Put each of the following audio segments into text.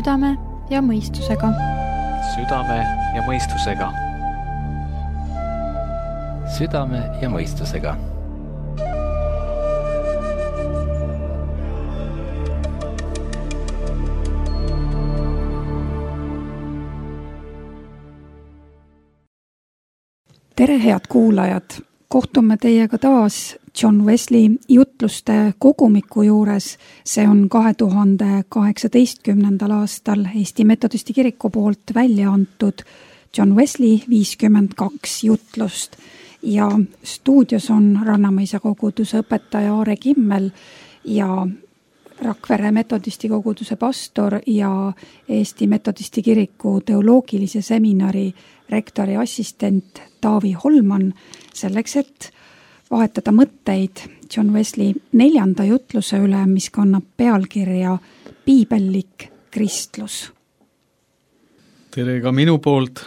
Südame ja mõistusega. Südame ja mõistusega. Südame ja mõistusega. Tere, head kuulajad! Kohtume teiega taas John Wesley jutluste kogumiku juures. See on 2018. aastal Eesti Metodisti Kiriku poolt välja antud John Wesley 52 jutlust. Ja stuudios on Rannamõisa koguduse õpetaja Aare Kimmel ja Rakvere Metodisti koguduse pastor ja Eesti Metodisti Kiriku teoloogilise seminari rektori assistent Taavi Holman selleks, et vahetada mõtteid John Wesley 4. jutluse üle, mis kannab pealkirja Piibellik kristlus. Tere ka minu poolt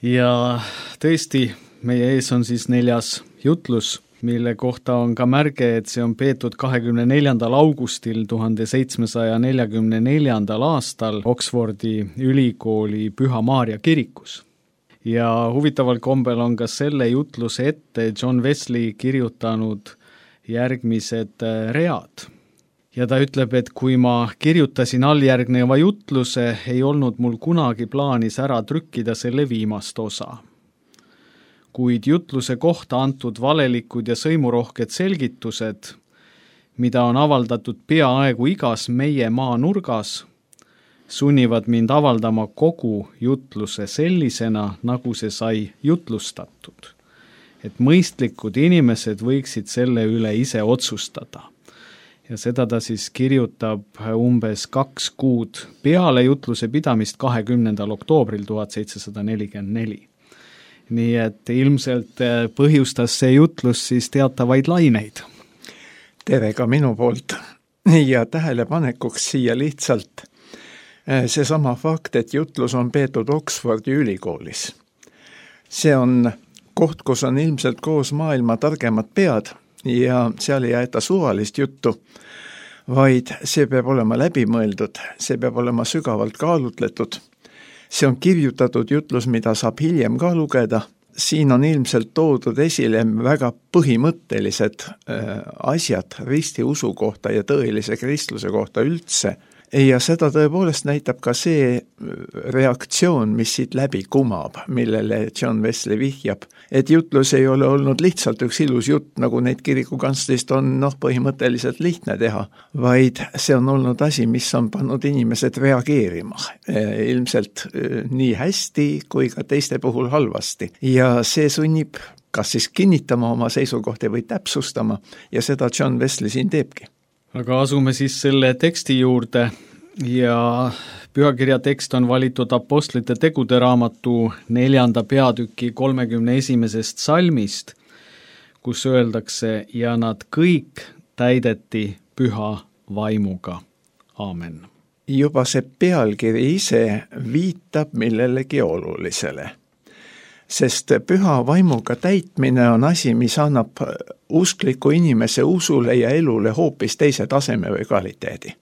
ja tõesti, meie ees on siis 4. jutlus, mille kohta on ka märge, et see on peetud 24. augustil 1744. aastal Oxfordi ülikooli Püha Maarja kirikus. Ja huvitaval kombel on ka selle jutluse ette John Wesley kirjutanud järgmised read. Ja ta ütleb, et kui ma kirjutasin alljärgneva jutluse, ei olnud mul kunagi plaanis ära trükkida selle viimast osa. Kuid jutluse kohta antud valelikud ja sõimurohked selgitused, mida on avaldatud peaaegu igas meie maanurgas, sunnivad mind avaldama kogu jutluse sellisena, nagu see sai jutlustatud. Et mõistlikud inimesed võiksid selle üle ise otsustada. Ja seda ta siis kirjutab umbes 2 kuud peale jutluse pidamist 20. oktoobril 1744. Nii et ilmselt põhjustas see jutlus siis teatavaid laineid. Tere ka minu poolt ja tähelepanekuks siia lihtsalt seesama fakt, et jutlus on peetud Oxfordi ülikoolis. See on koht, kus on ilmselt koos maailma targemad pead ja seal ei aeta suvalist juttu, vaid see peab olema läbimõeldud, see peab olema sügavalt kaalutletud. See on kirjutatud jutlus, mida saab hiljem ka lugeda. Siin on ilmselt toodud esile väga põhimõttelised asjad ristiusu kohta ja tõelise kristluse kohta üldse. Ja seda tõepoolest näitab ka see reaktsioon, mis siit läbi kumab, millele John Wesley vihjab. Et jutlus ei ole olnud lihtsalt üks ilus jutt, nagu neid kirikukanslist on põhimõtteliselt lihtne teha, vaid see on olnud asi, mis on pannud inimesed reageerima. Ilmselt nii hästi kui ka teiste puhul halvasti. Ja see sunnib kas siis kinnitama oma seisukohti või täpsustama ja seda John Wesley siin teebki. Aga asume siis selle teksti juurde ja pühakirja tekst on valitud Apostlite tegude raamatu 4. peatüki 31. salmist, kus öeldakse, ja nad kõik täideti püha vaimuga. Aamen. Juba see pealkiri ise viitab millelegi olulisele. Sest püha vaimuga täitmine on asi, mis annab uskliku inimese usule ja elule hoopis teise taseme või kvaliteedi.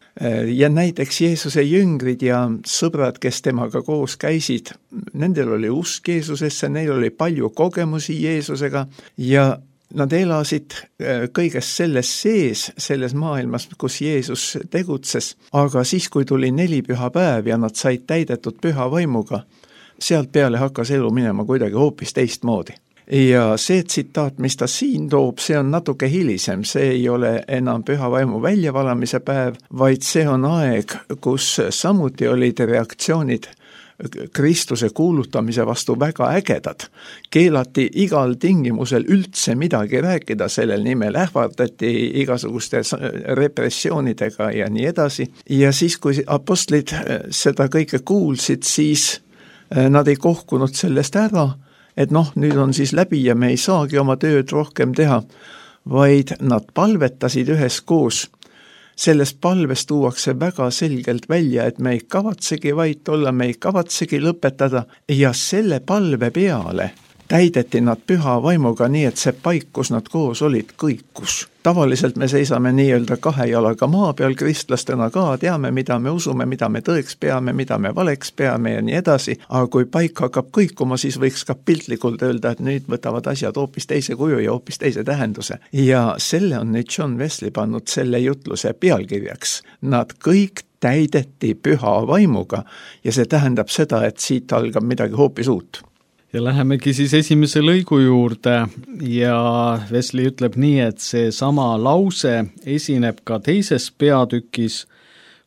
Ja näiteks Jeesuse jüngrid ja sõbrad, kes temaga koos käisid, nendel oli usk Jeesusesse, neil oli palju kogemusi Jeesusega ja nad elasid kõigest selles sees, selles maailmas, kus Jeesus tegutses. Aga siis, kui tuli 4 pühapäev ja nad said täidetud püha vaimuga, sealt peale hakkas elu minema kuidagi hoopis teistmoodi. Ja see tsitaat, mis ta siin toob, see on natuke hilisem, see ei ole enam püha vaimu väljavalamise päev, vaid see on aeg, kus samuti olid reaktsioonid Kristuse kuulutamise vastu väga ägedad. Keelati igal tingimusel üldse midagi rääkida, sellel nimel ähvardati igasuguste repressioonidega ja nii edasi. Ja siis, kui apostlid seda kõike kuulsid, siis nad ei kohkunud sellest ära, et nüüd on siis läbi ja me ei saagi oma tööd rohkem teha, vaid nad palvetasid üheskoos. Selles palves tuuakse väga selgelt välja, et me ei kavatsegi vait olla, me ei kavatsegi lõpetada ja selle palve peale täideti nad püha vaimuga nii, et see paik, kus nad koos olid, kõikus. Tavaliselt me seisame nii-öelda kahe jalaga maa peal kristlastena ka, teame, mida me usume, mida me tõeks peame, mida me valeks peame ja nii edasi, aga kui paik hakkab kõikuma, siis võiks ka piltlikult öelda, et nüüd võtavad asjad hoopis teise kuju ja hoopis teise tähenduse. Ja selle on nüüd John Wesley pannud selle jutluse pealkirjaks. Nad kõik täideti püha vaimuga ja see tähendab seda, et siit algab midagi hoopis uut. Ja lähemegi siis esimese lõigu juurde ja Wesley ütleb nii, et see sama lause esineb ka teises peatükis,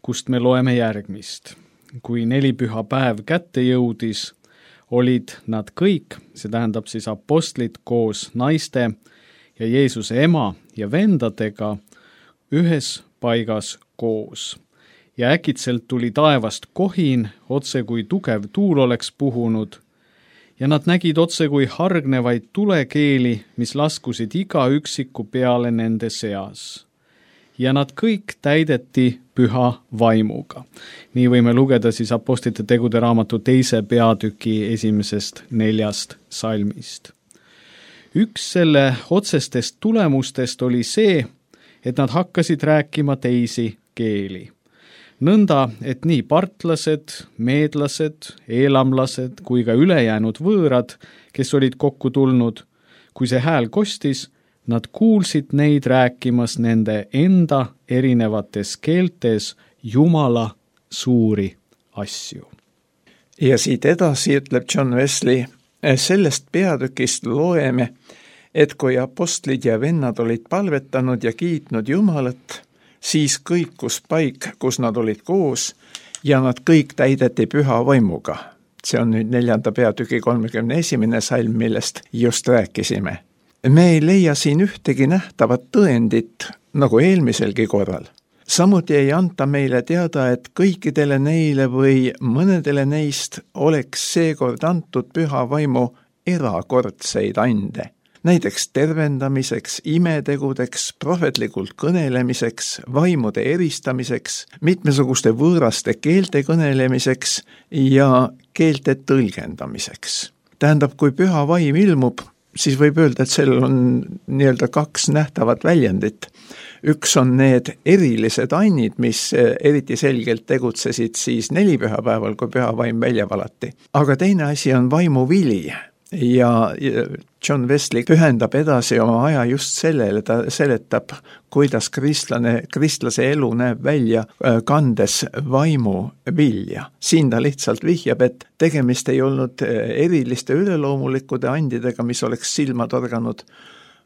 kust me loeme järgmist. Kui 4 pühapäev kätte jõudis, olid nad kõik, see tähendab siis apostlid koos naiste ja Jeesuse ema ja vendadega ühes paigas koos. Ja äkitselt tuli taevast kohin, otse kui tugev tuul oleks puhunud, ja nad nägid otse kui hargnevaid tulekeeli, mis laskusid iga üksiku peale nende seas. Ja nad kõik täideti püha vaimuga. Nii võime lugeda siis Apostlite tegude raamatu 2. peatüki 1.4. salmist. Üks selle otsestest tulemustest oli see, et nad hakkasid rääkima teisi keeli. Nõnda, et nii partlased, meedlased, eelamlased kui ka ülejäänud võõrad, kes olid kokku tulnud, kui see hääl kostis, nad kuulsid neid rääkimas nende enda erinevates keeltes Jumala suuri asju. Ja siit edasi ütleb John Wesley, sellest peatükist loeme, et kui apostlid ja vennad olid palvetanud ja kiitnud Jumalat, siis kõikus paik, kus nad olid koos ja nad kõik täideti püha vaimuga. See on nüüd 4. peatüki 31. salm, millest just rääkisime. Me ei leia siin ühtegi nähtavat tõendit, nagu eelmiselgi korral. Samuti ei anta meile teada, et kõikidele neile või mõnedele neist oleks seekord antud püha vaimu erakordseid ande. Näiteks tervendamiseks, imetegudeks, prohvetlikult kõnelemiseks, vaimude eristamiseks, mitmesuguste võõraste keelte kõnelemiseks ja keelte tõlgendamiseks. Tähendab, kui püha vaim ilmub, siis võib öelda, et sellel on nii-öelda 2 nähtavat väljendit. Üks on need erilised annid, mis eriti selgelt tegutsesid siis 4 pühapäeval, kui püha vaim välja valati. Aga teine asi on vaimu vili. Ja John Wesley pühendab edasi oma aja just sellele, ta seletab, kuidas kristlase elu näeb välja kandes vaimu vilja. Siin ta lihtsalt vihjab, et tegemist ei olnud eriliste üleloomulikude andidega, mis oleks silma torganud,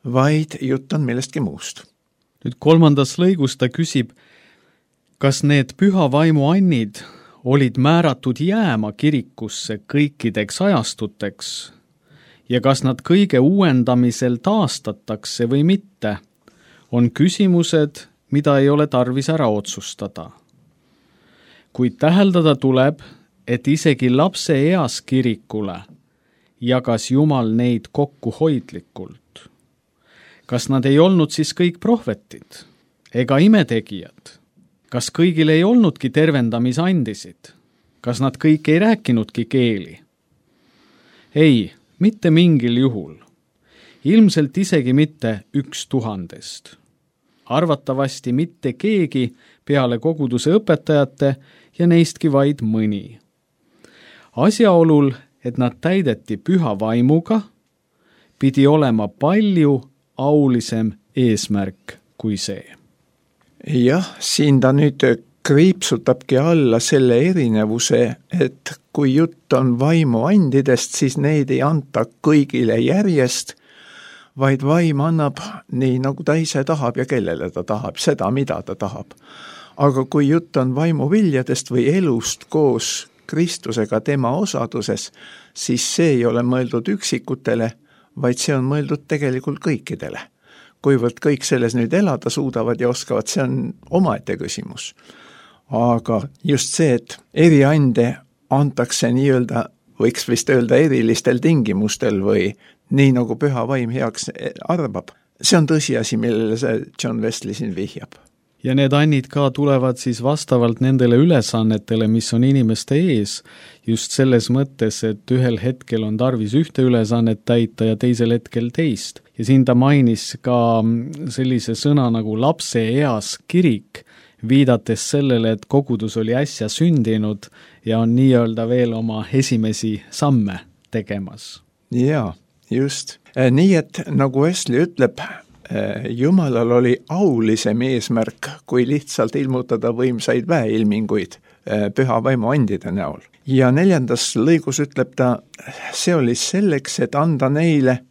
vaid jutt on millestki muust. Nüüd 3. lõigus ta küsib, kas need püha vaimu annid olid määratud jääma kirikusse kõikideks ajastuteks ja kas nad kõige uuendamisel taastatakse või mitte, on küsimused, mida ei ole tarvis ära otsustada. Kuid täheldada tuleb, et isegi lapse eas kirikule jagas Jumal neid kokkuhoidlikult. Kas nad ei olnud siis kõik prohvetid ega imetegijad? Kas kõigil ei olnudki tervendamisandisid? Kas nad kõik ei rääkinudki keeli? Ei, mitte mingil juhul. Ilmselt isegi mitte 1000. Arvatavasti mitte keegi peale koguduse õpetajate ja neistki vaid mõni. Asjaolul, et nad täideti püha vaimuga, pidi olema palju aulisem eesmärk kui see. Jah, siin ta nüüd kriipsutabki alla selle erinevuse, et kui jutt on vaimuandidest, siis neid ei anta kõigile järjest, vaid vaim annab nii, nagu ta ise tahab ja kellele ta tahab, seda, mida ta tahab. Aga kui jutt on vaimuviljadest või elust koos Kristusega tema osaduses, siis see ei ole mõeldud üksikutele, vaid see on mõeldud tegelikult kõikidele. Kuivõrd kõik selles nüüd elada suudavad ja oskavad, see on omaette küsimus. Aga just see, et eriande antakse nii-öelda, võiks vist öelda erilistel tingimustel või nii nagu püha vaim heaks arvab, see on tõsiasi, millele see John Wesley siin vihjab. ja need annid ka tulevad siis vastavalt nendele ülesannetele, mis on inimeste ees, just selles mõttes, et ühel hetkel on tarvis ühte ülesannet täita ja teisel hetkel teist. Ja siin ta mainis ka sellise sõna nagu lapse eas kirik, viidates sellele, et kogudus oli äsja sündinud ja on nii-öelda veel oma esimesi samme tegemas. Jaa, just. Nii et nagu Wesley ütleb, Jumalal oli aulisem eesmärk, kui lihtsalt ilmutada võimsaid väeilminguid püha vaimu andide näol. Ja 4. lõigus ütleb ta, see oli selleks, et anda neile,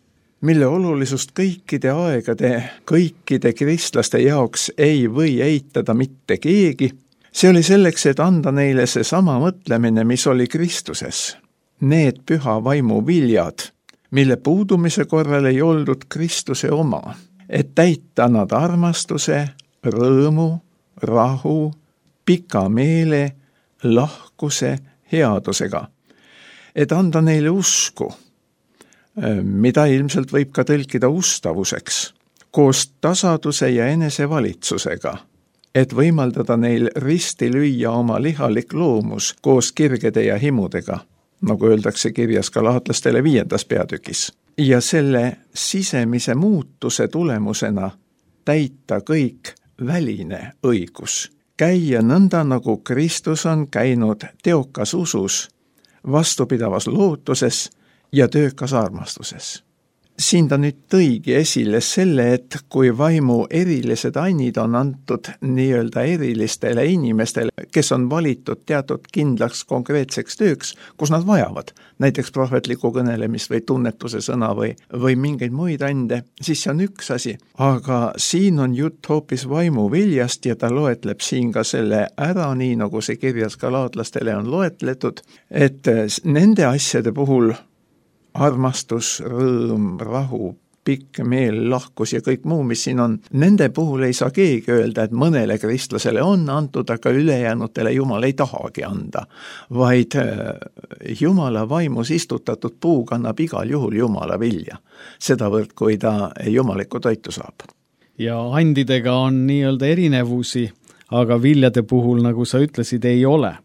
mille olulisust kõikide aegade, kõikide kristlaste jaoks ei või eitada mitte keegi. See oli selleks, et anda neile see sama mõtlemine, mis oli Kristuses. Need püha vaimu viljad, mille puudumise korral ei oldud Kristuse oma, et täita nad armastuse, rõõmu, rahu, pika meele, lahkuse, headusega. Et anda neile usku, mida ilmselt võib ka tõlkida ustavuseks, koos tasaduse ja enesevalitsusega, et võimaldada neil risti lüüa oma lihalik loomus koos kirgede ja himudega, nagu öeldakse kirjas Galaatlastele 5. peatükis. Ja selle sisemise muutuse tulemusena täita kõik väline õigus. Käia nõnda, nagu Kristus on käinud teokas usus, vastupidavas lootuses ja töökas armastuses. Siin ta nüüd tõigi esile selle, et kui vaimu erilised annid on antud nii-öelda erilistele inimestele, kes on valitud teatud kindlaks konkreetseks tööks, kus nad vajavad, näiteks prohvetliku kõnelemist või tunnetuse sõna või mingeid muid ande, siis see on üks asi. Aga siin on jutt hoopis vaimu viljast ja ta loetleb siin ka selle ära, nii nagu see kirjas galaatlastele on loetletud, et nende asjade puhul armastus, rõõm, rahu, pikk meel, lahkus ja kõik muu, mis siin on, nende puhul ei saa keegi öelda, et mõnele kristlasele on antud, aga ülejäänutele Jumal ei tahagi anda, vaid Jumala vaimus istutatud puu kannab igal juhul Jumala vilja, sedavõrd, kui ta jumalikku toitu saab. Ja andidega on nii-öelda erinevusi, aga viljade puhul, nagu sa ütlesid, ei ole.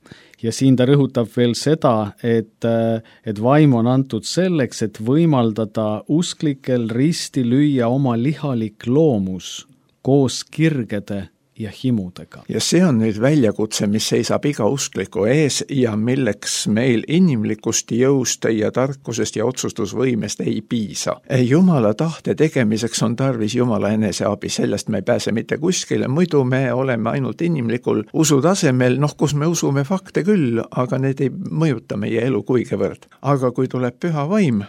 Ja siin ta rõhutab veel seda, et vaim on antud selleks, et võimaldada usklikel risti lüüa oma lihalik loomus koos kirgede ja himudega. Ja see on nüüd väljakutse, mis seisab iga uskliku ees ja milleks meil inimlikust jõust ja tarkusest ja otsustusvõimest ei piisa. Jumala tahte tegemiseks on tarvis Jumala eneseabi, sellest me ei pääse mitte kuskile, muidu me oleme ainult inimlikul usutasemel, kus me usume fakte küll, aga need ei mõjuta meie elu kuigivõrd. Aga kui tuleb püha vaim,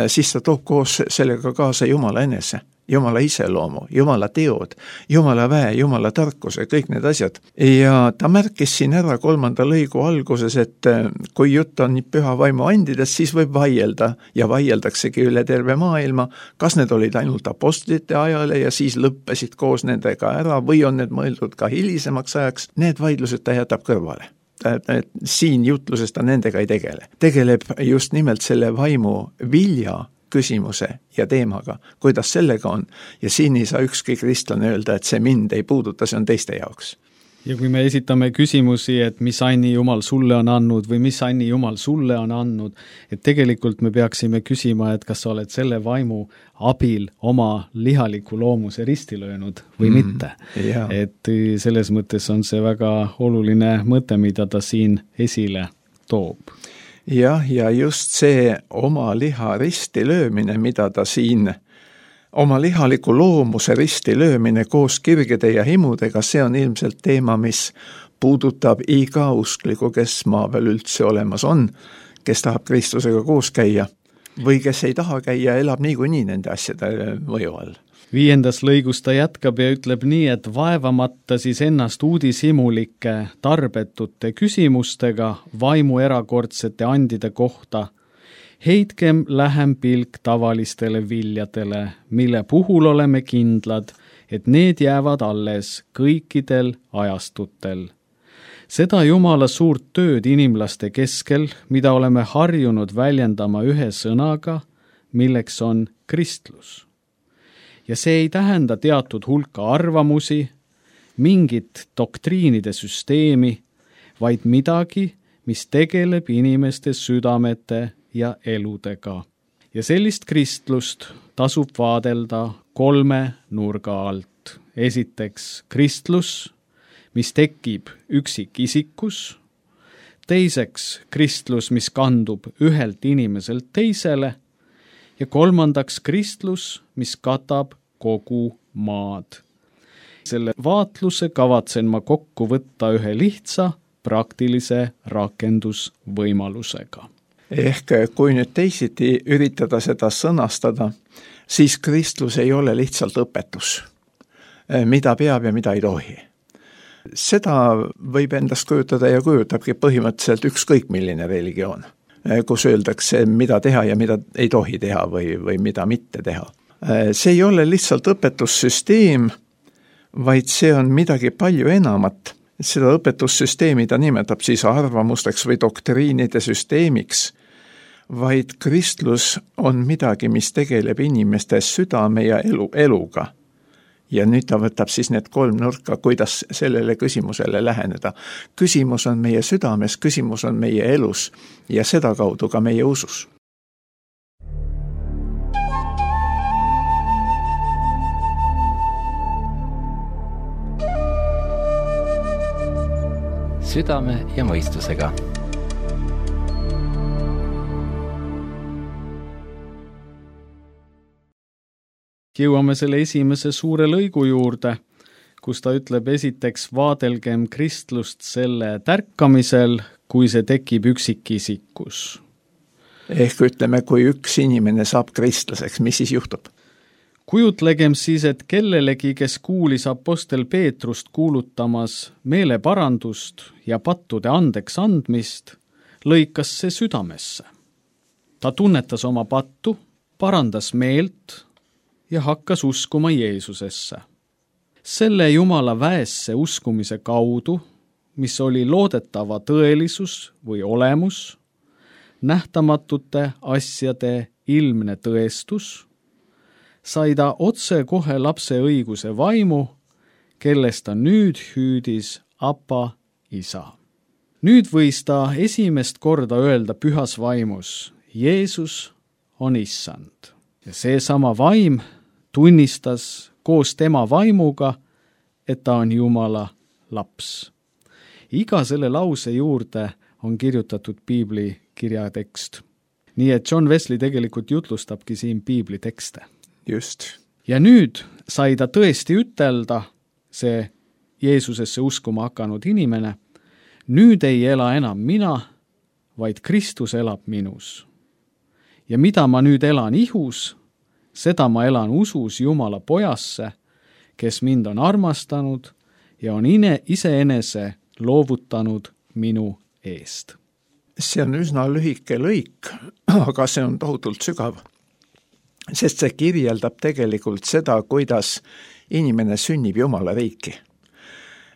siis ta toob koos sellega kaasa Jumala enese. Jumala iseloomu, Jumala teod, Jumala väe, Jumala tarkuse, kõik need asjad. Ja ta märkis siin ära 3. lõigu alguses, et kui jutt on püha vaimu andidest, siis võib vaielda ja vaieldaksegi üle terve maailma, kas need olid ainult apostlite ajale ja siis lõppesid koos nendega ära või on need mõeldud ka hilisemaks ajaks, need vaidlused ta jätab kõrvale. Siin jutluses ta nendega ei tegele. Tegeleb just nimelt selle vaimu vilja küsimuse ja teemaga, kuidas sellega on. Ja siin ei saa ükski kristlane öelda, et see mind ei puuduta, see on teiste jaoks. Ja kui me esitame küsimusi, et mis anni Jumal sulle on andnud või mis anni Jumal sulle on andnud, et tegelikult me peaksime küsima, et kas sa oled selle vaimu abil oma lihaliku loomuse risti löönud või mitte. Yeah. Et selles mõttes on see väga oluline mõte, mida ta siin esile toob. Ja just see oma liha risti löömine, mida ta siin, oma lihaliku loomuse risti löömine koos kirgede ja himudega, see on ilmselt teema, mis puudutab iga uskliku, kes maa peal üldse olemas on, kes tahab Kristusega koos käia või kes ei taha käia, elab niikuinii nende asjade mõju all. 5. lõigus ta jätkab ja ütleb nii, et vaevamata siis ennast uudishimulike tarbetute küsimustega vaimu erakordsete andide kohta, heitkem lähem pilk tavalistele viljadele, mille puhul oleme kindlad, et need jäävad alles kõikidel ajastutel. Seda Jumala suurt tööd inimlaste keskel, mida oleme harjunud väljendama ühe sõnaga, milleks on kristlus. Ja see ei tähenda teatud hulka arvamusi mingit doktriinide süsteemi, vaid midagi, mis tegeleb inimeste südamete ja eludega. Ja sellist kristlust tasub vaadelda 3 nurga alt. Esiteks kristlus, mis tekib üksikisikus, teiseks kristlus, mis kandub ühelt inimeselt teisele ja kolmandaks kristlus, mis katab kogu maad. Selle vaatluse kavatsen ma kokku võtta ühe lihtsa praktilise rakendusvõimalusega. Ehk kui nüüd teisiti üritada seda sõnastada, siis kristlus ei ole lihtsalt õpetus, mida peab ja mida ei tohi. Seda võib endast kujutada ja kujutabki põhimõtteliselt ükskõik milline religioon, kus öeldakse, mida teha ja mida ei tohi teha või mida mitte teha. See ei ole lihtsalt õpetussüsteem, vaid see on midagi palju enamat. Seda õpetussüsteemi ta nimetab siis arvamusteks või doktriinide süsteemiks, vaid kristlus on midagi, mis tegeleb inimeste südame ja eluga. Ja nüüd ta võtab siis need 3 nurka, kuidas sellele küsimusele läheneda. Küsimus on meie südames, küsimus on meie elus ja seda kaudu ka meie usus. Südame ja mõistusega. Jõuame selle esimese suure lõigu juurde, kus ta ütleb esiteks vaadelgem kristlust selle tärkamisel, kui see tekib üksikisikus. Ehk ütleme, kui üks inimene saab kristlaseks, mis siis juhtub? Kujutlegem siis, et kellelegi, kes kuulis apostel Peetrust kuulutamas meeleparandust ja pattude andeks andmist, lõikas see südamesse. Ta tunnetas oma pattu, parandas meelt ja hakkas uskuma Jeesusesse. Selle Jumala väesse uskumise kaudu, mis oli loodetava tõelisus või olemus, nähtamatute asjade ilmne tõestus, sai ta otse kohe lapse õiguse vaimu, kellest ta nüüd hüüdis Apa isa. Nüüd võis ta esimest korda öelda pühas vaimus, Jeesus on issand. Ja seesama vaim tunnistas koos tema vaimuga, et ta on Jumala laps. Iga selle lause juurde on kirjutatud piibli kirjatekst. Nii et John Wesley tegelikult jutlustabki siin piibli tekste. Just. Ja nüüd sai ta tõesti ütelda, see Jeesusesse uskuma hakanud inimene, nüüd ei ela enam mina, vaid Kristus elab minus. Ja mida ma nüüd elan ihus, seda ma elan usus Jumala pojasse, kes mind on armastanud ja on iseenese loovutanud minu eest. See on üsna lühike lõik, aga see on tohutult sügav. Sest see kirjeldab tegelikult seda, kuidas inimene sünnib Jumala riiki.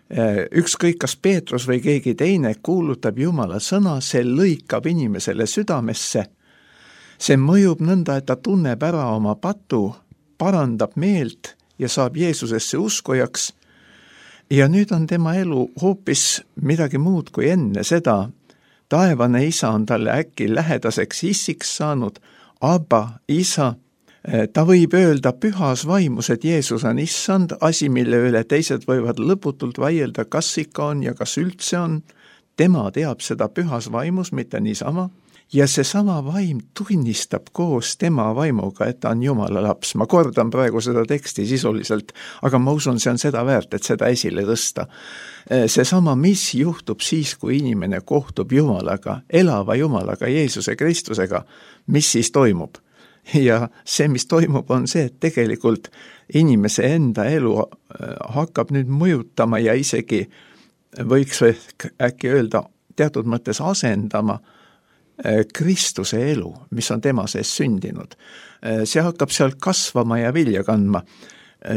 Ükskõik kas Peetrus või keegi teine kuulutab Jumala sõna, see lõikab inimesele südamesse. See mõjub nõnda, et ta tunneb ära oma patu, parandab meelt ja saab Jeesusesse uskujaks. Ja nüüd on tema elu hoopis midagi muud kui enne seda. Taevane isa on talle äkki lähedaseks issiks saanud, Abba, isa. Ta võib öelda pühas vaimus, et Jeesus on issand, asi, mille üle teised võivad lõputult vaielda, kas ikka on ja kas üldse on. Tema teab seda pühas vaimus, mitte niisama. Ja seesama vaim tunnistab koos tema vaimuga, et ta on Jumala laps. Ma kordan praegu seda teksti sisuliselt, aga ma usun, see on seda väärt, et seda esile tõsta. Seesama, mis juhtub siis, kui inimene kohtub Jumalaga, elava Jumalaga, Jeesuse Kristusega, mis siis toimub? Ja see, mis toimub, on see, et tegelikult inimese enda elu hakkab nüüd mõjutama ja isegi võiks äkki öelda teatud mõttes asendama Kristuse elu, mis on tema sees sündinud. See hakkab sealt kasvama ja vilja kandma.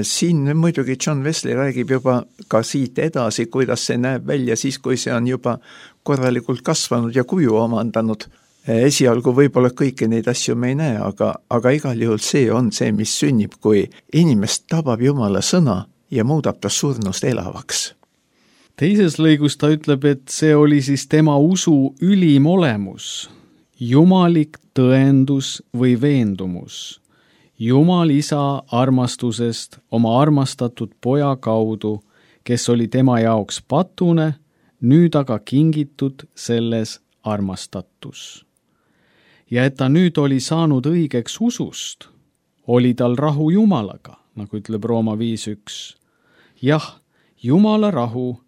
Siin muidugi John Wesley räägib juba ka siit edasi, kuidas see näeb välja siis, kui see on juba korralikult kasvanud ja kuju omandanud. Esialgu võib-olla kõiki neid asju me ei näe, aga igal juhul see on see, mis sünnib, kui inimest tabab Jumala sõna ja muudab ta surnust elavaks. Teises lõigus ta ütleb, et see oli siis tema usu ülim olemus, jumalik tõendus või veendumus, Jumal isa armastusest oma armastatud poja kaudu, kes oli tema jaoks patune, nüüd aga kingitud selles armastatus. Ja et ta nüüd oli saanud õigeks usust, oli tal rahu Jumalaga, nagu ütleb Rooma 5.1. Jah, Jumala rahu,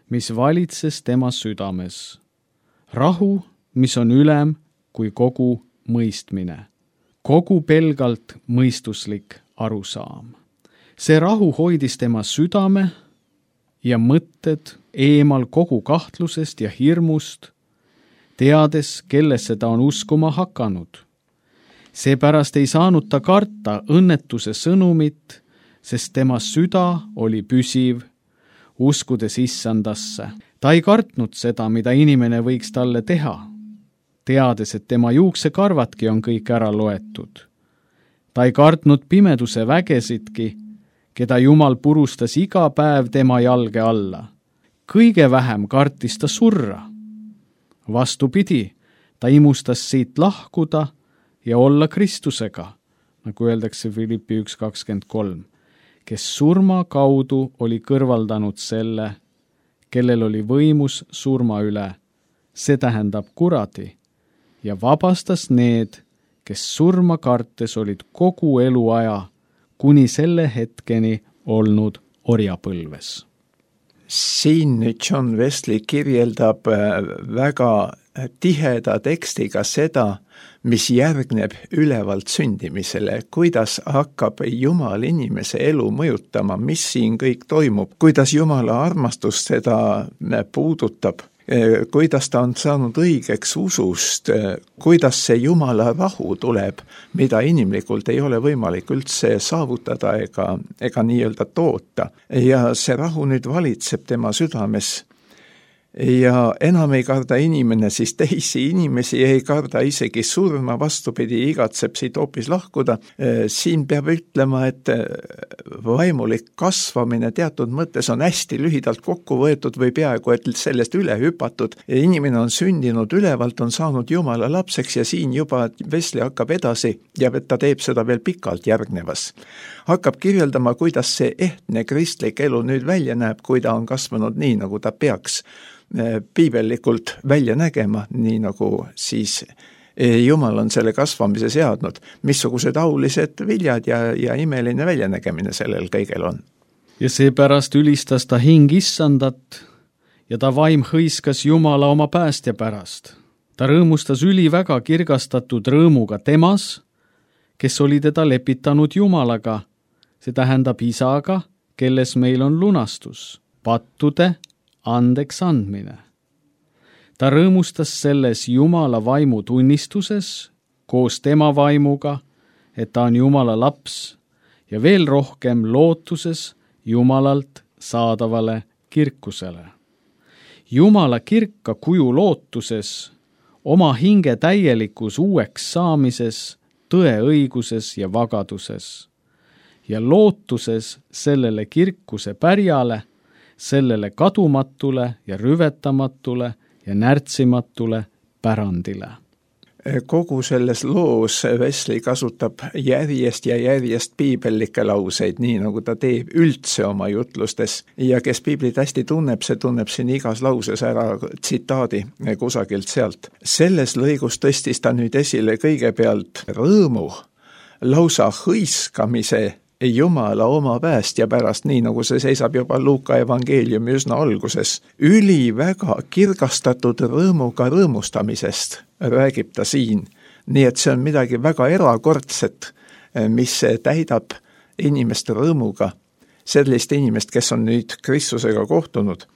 mis valitses tema südames. Rahu, mis on ülem kui kogu mõistmine. Kogu pelgalt mõistuslik arusaam. See rahu hoidis tema südame ja mõtted eemal kogu kahtlusest ja hirmust, teades, kellesse ta on uskuma hakanud. Seepärast ei saanud ta karta õnnetuse sõnumit, sest tema süda oli püsiv, uskudes issandasse. Ta ei kartnud seda, mida inimene võiks talle teha, teades, et tema juuksekarvadki on kõik ära loetud. Ta ei kartnud pimeduse vägesidki, keda Jumal purustas iga päev tema jalge alla. Kõige vähem kartis ta surra. Vastupidi, ta imustas siit lahkuda ja olla Kristusega, nagu öeldakse Filippi 1.23, kes surma kaudu oli kõrvaldanud selle, kellel oli võimus surma üle, see tähendab kuradi, ja vabastas need, kes surma kartes olid kogu eluaja kuni selle hetkeni olnud orjapõlves. Siin nüüd John Wesley kirjeldab väga tiheda tekstiga seda, mis järgneb ülevalt sündimisele, kuidas hakkab Jumal inimese elu mõjutama, mis siin kõik toimub, kuidas Jumala armastus seda puudutab, kuidas ta on saanud õigeks usust, kuidas see Jumala rahu tuleb, mida inimlikult ei ole võimalik üldse saavutada ega nii-öelda toota. Ja see rahu nüüd valitseb tema südames. Ja enam ei karda inimene siis teisi inimesi, ei karda isegi surma, vastupidi, igatseb siit hoopis lahkuda. Siin peab ütlema, et vaimulik kasvamine teatud mõttes on hästi lühidalt kokku võetud või peaaegu, et sellest üle hüpatud. Inimene on sündinud ülevalt, on saanud Jumala lapseks ja siin juba Wesley hakkab edasi ja ta teeb seda veel pikalt järgnevas. Hakkab kirjeldama, kuidas see ehtne kristlik elu nüüd välja näeb, kui ta on kasvanud nii, nagu ta peaks piibellikult välja nägema, nii nagu siis Jumal on selle kasvamise seadnud, missugused aulised viljad ja imeline väljanägemine sellel kõigel on. Ja seepärast ülistas ta hing issandat ja ta vaim hõiskas Jumala oma päästja pärast. Ta rõõmustas üliväga kirgastatud rõõmuga temas, kes oli teda lepitanud Jumalaga, see tähendab isaga, kelles meil on lunastus, pattude andeks andmine. Ta rõõmustas selles Jumala vaimu tunnistuses koos tema vaimuga, et ta on Jumala laps ja veel rohkem lootuses Jumalalt saadavale kirkusele. Jumala kirka kuju lootuses, oma hinge täielikus uueks saamises, tõe õiguses ja vagaduses ja lootuses sellele kirkuse pärjale, sellele kadumatule ja rüvetamatule ja närtsimatule pärandile. Kogu selles loos Wesley kasutab järjest ja järjest piibellikke lauseid, nii nagu ta teeb üldse oma jutlustes. Ja kes piiblit hästi tunneb, see tunneb siin igas lauses ära tsitaadi kusagilt sealt. Selles lõigus tõstis ta nüüd esile kõigepealt rõõmu, lausa hõiskamise Jumala oma päästja pärast, nii nagu see seisab juba Luuka evangeeliumi üsna alguses. Üliväga kirgastatud rõõmuga rõõmustamisest räägib ta siin. Nii et see on midagi väga erakordset, mis täidab inimeste rõõmuga, sellist inimest, kes on nüüd Kristusega kohtunud.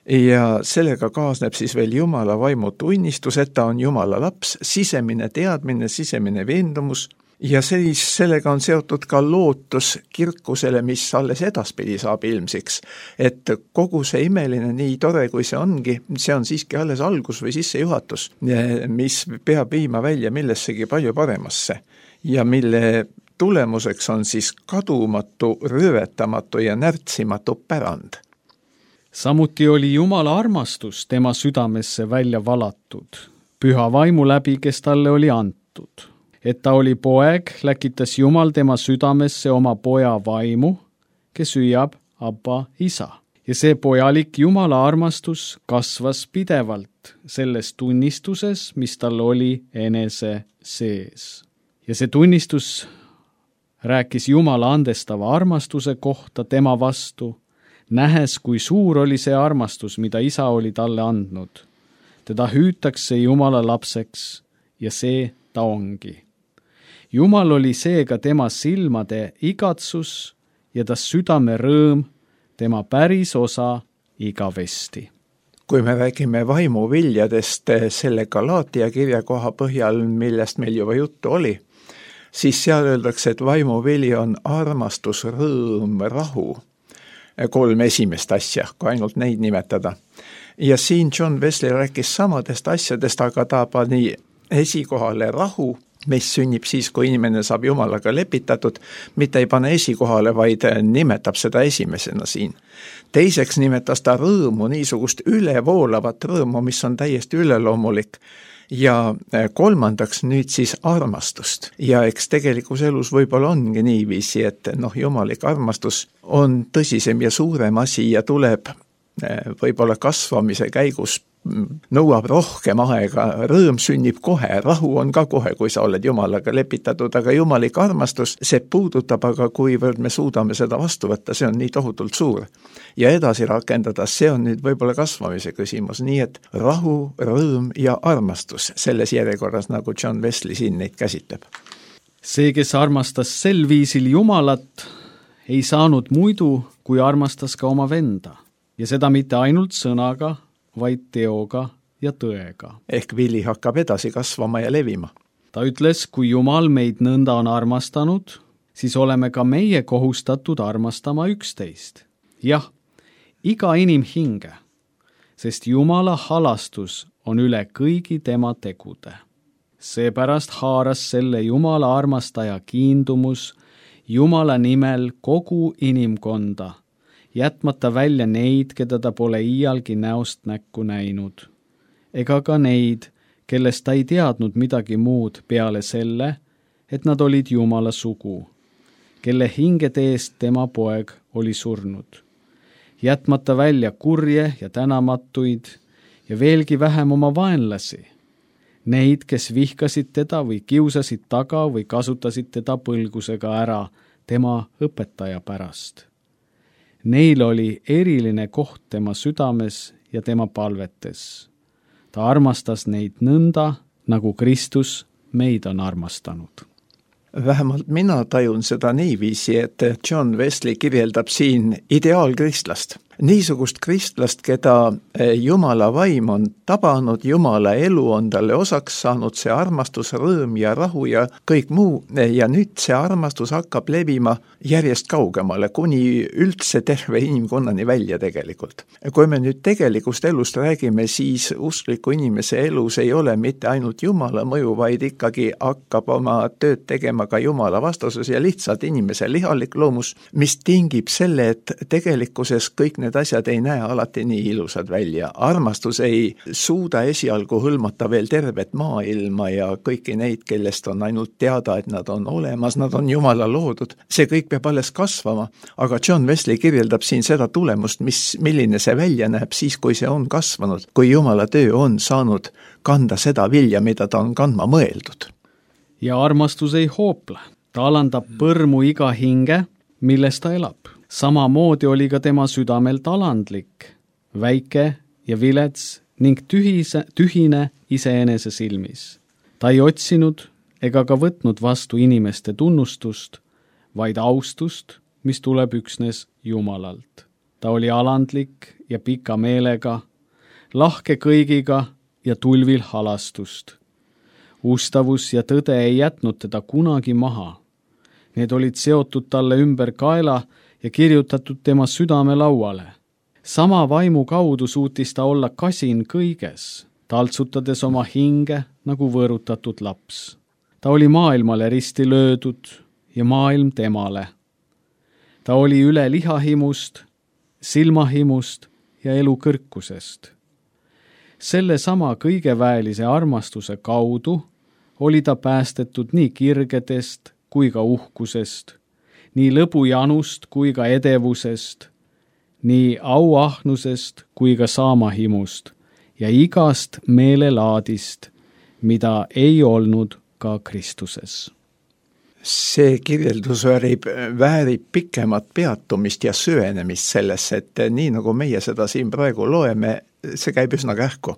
Ja sellega kaasneb siis veel Jumala vaimu tunnistus, et ta on Jumala laps, sisemine teadmine, sisemine veendumus. Ja sellega on seotud ka lootus kirkusele, mis alles edaspidi saab ilmsiks. Et kogu see imeline, nii tore kui see ongi, see on siiski alles algus või sissejuhatus, mis peab viima välja millessegi palju paremasse ja mille tulemuseks on siis kadumatu, röövetamatu ja närtsimatu pärand. Samuti oli Jumala armastus tema südamesse välja valatud, püha vaimu läbi, kes talle oli antud. Et ta oli poeg, läkitas Jumal tema südamesse oma poja vaimu, kes hüüab Abba isa. Ja see pojalik Jumala armastus kasvas pidevalt selles tunnistuses, mis tal oli enese sees. Ja see tunnistus rääkis Jumala andestava armastuse kohta tema vastu, nähes, kui suur oli see armastus, mida isa oli talle andnud. Teda hüütakse Jumala lapseks ja see ta ongi. Jumal oli seega tema silmade igatsus ja ta südame rõõm, tema päris osa igavesti. Kui me räägime vaimuviljadest selle Galaatia kirja koha põhjal, millest meil juba juttu oli, siis seal öeldakse, et vaimuvili on armastus, rõõm, rahu. 3 esimest asja, kui ainult neid nimetada. Ja siin John Wesley rääkis samadest asjadest, aga ta pani esikohale rahu, mis sünnib siis, kui inimene saab Jumalaga lepitatud, mitte ei pane esikohale, vaid nimetab seda esimesena siin. Teiseks nimetas ta rõõmu, niisugust ülevoolavat rõõmu, mis on täiesti üleloomulik. Ja kolmandaks nüüd siis armastust. Ja eks tegelikus elus võib-olla ongi niiviisi, et jumalik armastus on tõsisem ja suurem asi ja tuleb võib-olla kasvamise käigus nõuab rohkem aega, rõõm sünnib kohe, rahu on ka kohe, kui sa oled Jumalaga lepitatud, aga jumalik armastus, see puudutab, aga kuivõrd me suudame seda vastu võtta, see on nii tohutult suur. Ja edasi rakendada, see on nüüd võib-olla kasvamise küsimus, nii et rahu, rõõm ja armastus selles järjekorras, nagu John Wesley siin neid käsitleb. See, kes armastas sel viisil Jumalat, ei saanud muidu, kui armastas ka oma venda. Ja seda mitte ainult sõnaga, vaid teoga ja tõega. Ehk vili hakkab edasi kasvama ja levima. Ta ütles, kui Jumal meid nõnda on armastanud, siis oleme ka meie kohustatud armastama üksteist. Jah, iga inimhinge, sest Jumala halastus on üle kõigi tema tegude. Seepärast haaras selle Jumala armastaja kiindumus Jumala nimel kogu inimkonda, jätmata välja neid, keda ta pole iialgi näost näkku näinud, ega ka neid, kellest ta ei teadnud midagi muud peale selle, et nad olid Jumala sugu, kelle hingede eest tema poeg oli surnud, jätmata välja kurje ja tänamatuid ja veelgi vähem oma vaenlasi, neid, kes vihkasid teda või kiusasid taga või kasutasid teda põlgusega ära tema õpetaja pärast. Neil oli eriline koht tema südames ja tema palvetes. Ta armastas neid nõnda, nagu Kristus meid on armastanud. Vähemalt mina tajun seda niiviisi, et John Wesley kirjeldab siin ideaalkristlast. Niisugust kristlast, keda Jumala vaim on tabanud, Jumala elu on talle osaks saanud, see armastus, rõõm ja rahu ja kõik muu, ja nüüd see armastus hakkab levima järjest kaugemale, kuni üldse terve inimkonnani välja tegelikult. Kui me nüüd tegelikust elust räägime, siis uskliku inimese elus ei ole mitte ainult Jumala mõju, vaid ikkagi hakkab oma tööd tegema ka Jumala vastasus ja lihtsalt inimese lihalik loomus, mis tingib selle, et tegelikkuses kõik need asjad ei näe alati nii ilusad välja. Armastus ei suuda esialgu hõlmata veel tervet maailma ja kõiki neid, kellest on ainult teada, et nad on olemas, nad on Jumala loodud. See kõik peab alles kasvama, aga John Wesley kirjeldab siin seda tulemust, milline see välja näeb siis, kui see on kasvanud, kui Jumala töö on saanud kanda seda vilja, mida ta on kandma mõeldud. Ja armastus ei hoople. Ta alandab põrmu iga hinge, milles ta elab. Samamoodi oli ka tema südamelt alandlik, väike ja vilets ning tühine iseenese silmis. Ta ei otsinud ega ka võtnud vastu inimeste tunnustust, vaid austust, mis tuleb üksnes Jumalalt. Ta oli alandlik ja pika meelega, lahke kõigiga ja tulvil halastust. Ustavus ja tõde ei jätnud teda kunagi maha. Need olid seotud talle ümber kaela ja kirjutatud tema südame lauale. Sama vaimu kaudu suutis ta olla kasin kõiges, taltsutades oma hinge nagu võõrutatud laps. Ta oli maailmale risti löödud ja maailm temale. Ta oli üle lihahimust, silmahimust ja elu kõrkusest. Selle sama kõigeväelise armastuse kaudu oli ta päästetud nii kirgedest kui ka uhkusest, nii lõbujanust kui ka edevusest, nii auahnusest kui ka saamahimust ja igast meelelaadist, mida ei olnud ka Kristuses. See kirjeldus väärib pikemat peatumist ja süvenemist sellesse, et nii nagu meie seda siin praegu loeme, see käib üsna kähku.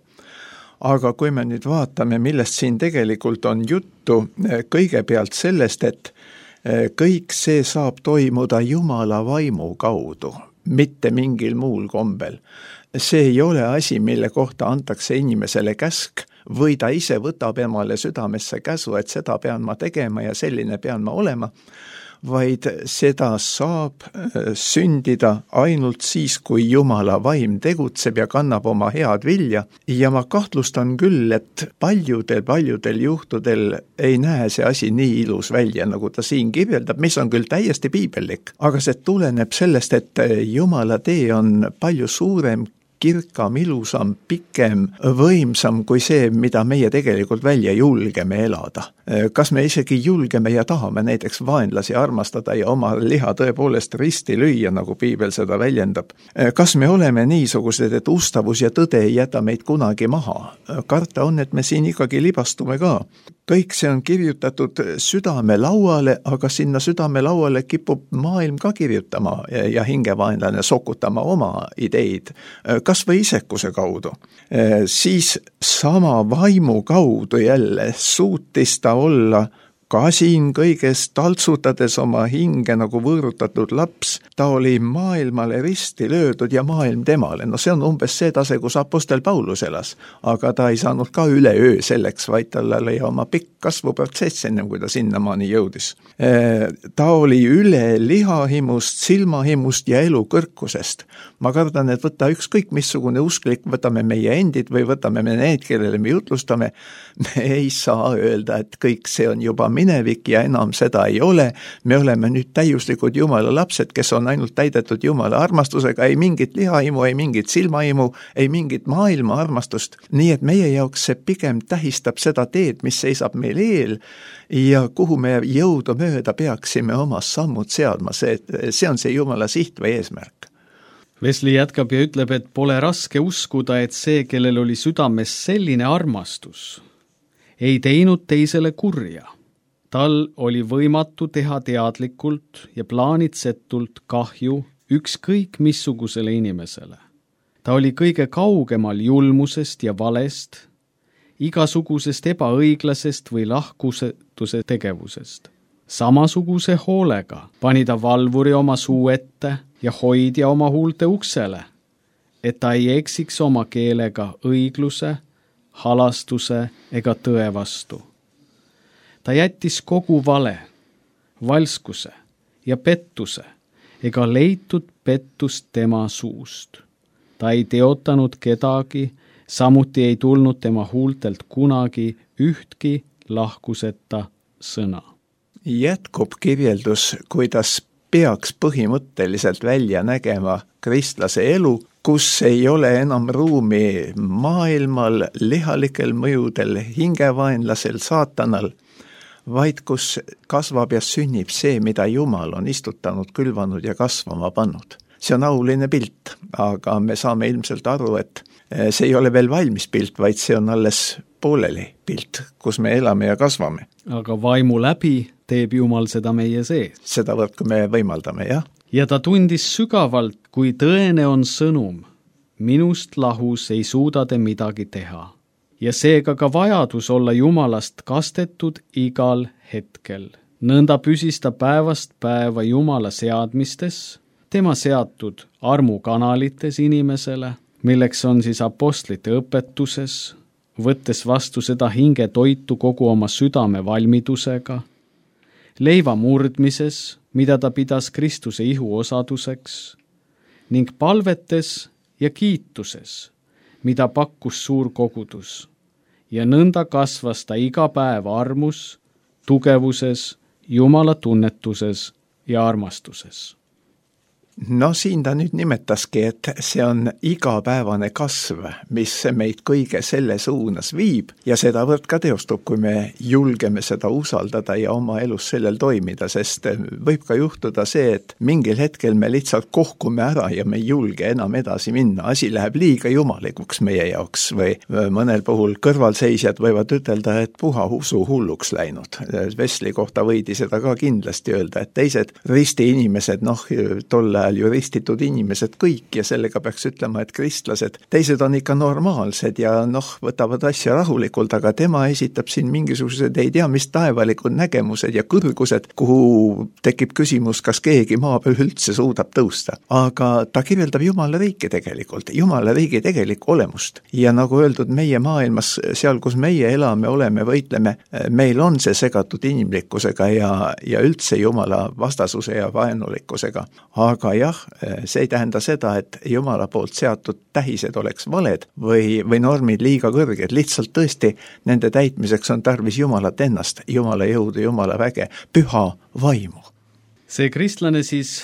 Aga kui me nüüd vaatame, millest siin tegelikult on juttu, kõigepealt sellest, et kõik see saab toimuda Jumala vaimu kaudu, mitte mingil muul kombel. See ei ole asi, mille kohta antakse inimesele käsk, või ta ise võtab emale südamesse käsu, et seda pean ma tegema ja selline pean ma olema, vaid seda saab sündida ainult siis, kui Jumala vaim tegutseb ja kannab oma head vilja. Ja ma kahtlustan küll, et paljudel juhtudel ei näe see asi nii ilus välja, nagu ta siin kirjeldab, mis on küll täiesti piibellik, aga see tuleneb sellest, et Jumala tee on palju suurem, kirkam, ilusam, pikem, võimsam kui see, mida meie tegelikult välja julgeme elada. Kas me isegi julgeme ja tahame näiteks vaenlasi armastada ja oma liha tõepoolest risti lüüa, nagu piibel seda väljendab? Kas me oleme niisugused, et ustavus ja tõde ei jäta meid kunagi maha? Karta on, et me siin ikkagi libastume ka. Kõik see on kirjutatud südamelauale, aga sinna südamelauale kipub maailm ka kirjutama ja hingevaenlane sokutama oma ideid, kas või isekuse kaudu. Siis sama vaimu kaudu jälle suutis ta olla ka siin kõiges taltsutades oma hinge nagu võõrutatud laps. Ta oli maailmale risti löödud ja maailm temale. No see on umbes see tase, kus apostel Paulus elas, aga ta ei saanud ka üleöö selleks, vaid tal oli oma pikk kasvuprotsess ennem, kui ta sinnamaani jõudis. Ta oli üle lihahimust, silmahimust ja elu kõrkusest. Ma kardan, et võtta ükskõik missugune usklik, võtame meie endid või võtame me need, kellele me jutlustame, me ei saa öelda, et kõik see on juba minevik ja enam seda ei ole. Me oleme nüüd täiuslikud Jumala lapsed, kes on ainult täidetud Jumala armastusega, ei mingit lihahimu, ei mingit silmahimu, ei mingit maailma armastust. Nii et meie jaoks see pigem tähistab seda teed, mis seisab meil eel ja kuhu me jõudu mööda peaksime oma sammud seadma. See on see Jumala siht või eesmärk. Wesley jätkab ja ütleb, et pole raske uskuda, et see, kellel oli südames selline armastus, ei teinud teisele kurja. Tal oli võimatu teha teadlikult ja plaanitsetult kahju ükskõik missugusele inimesele. Ta oli kõige kaugemal julmusest ja valest, igasugusest ebaõiglasest või lahkusetuse tegevusest. Samasuguse hoolega pani ta valvuri oma suu ette ja hoidja oma huulte uksele, et ta ei eksiks oma keelega õigluse, halastuse ega tõe vastu. Ta jättis kogu vale, valskuse ja pettuse ega leitud pettust tema suust. Ta ei teotanud kedagi, samuti ei tulnud tema huultelt kunagi ühtki lahkuseta sõna. Jätkub kirjeldus, kuidas peaks põhimõtteliselt välja nägema kristlase elu, kus ei ole enam ruumi maailmal, lihalikel mõjudel, hingevaenlasel, saatanal, vaid kus kasvab ja sünnib see, mida Jumal on istutanud, külvanud ja kasvama pannud. See on auline pilt, aga me saame ilmselt aru, et see ei ole veel valmis pilt, vaid see on alles pooleli pilt, kus me elame ja kasvame. Aga vaimu läbi teeb Jumal seda meie sees. Seda võrku me võimaldame, jah. Ja ta tundis sügavalt, kui tõene on sõnum. Minust lahus ei suuda te midagi teha. Ja seega ka vajadus olla Jumalast kastetud igal hetkel. Nõnda püsis ta päevast päeva Jumala seadmistes, tema seatud armukanalites inimesele, milleks on siis apostlite õpetuses, võttes vastu seda hinge toitu kogu oma südame valmidusega, leiva murdmises, mida ta pidas Kristuse ihu osaduseks, ning palvetes ja kiituses, mida pakkus suur kogudus, ja nõnda kasvas ta iga päev armus, tugevuses Jumala tunnetuses ja armastuses. No siin ta nüüd nimetaski, et see on igapäevane kasv, mis meid kõige selle suunas viib ja sedavõrd ka teostub, kui me julgeme seda usaldada ja oma elus sellel toimida, sest võib ka juhtuda see, et mingil hetkel me lihtsalt kohkume ära ja me ei julge enam edasi minna, asi läheb liiga jumalikuks meie jaoks või mõnel puhul kõrvalseisjad võivad ütelda, et puha usu hulluks läinud. Wesley kohta võidi seda ka kindlasti öelda, et teised risti inimesed, tolle ju ristitud inimesed kõik ja sellega peaks ütlema, et kristlased, teised on ikka normaalsed ja võtavad asja rahulikult, aga tema esitab siin mingisugused ei tea mis taevalikud nägemused ja kõrgused, kuhu tekib küsimus, kas keegi maa peal üldse suudab tõusta. Aga ta kirjeldab Jumala riiki tegelikult, Jumala riigi tegelikku olemust. Ja nagu öeldud, meie maailmas, seal kus meie elame, oleme, võitleme, meil on see segatud inimlikkusega ja üldse Jumala vastasuse ja vaenulikkusega. Aga jah, see ei tähenda seda, et Jumala poolt seatud tähised oleks valed või normid liiga kõrged, lihtsalt tõesti nende täitmiseks on tarvis Jumalat ennast, Jumala jõudu, Jumala väge, püha vaimu. See kristlane siis,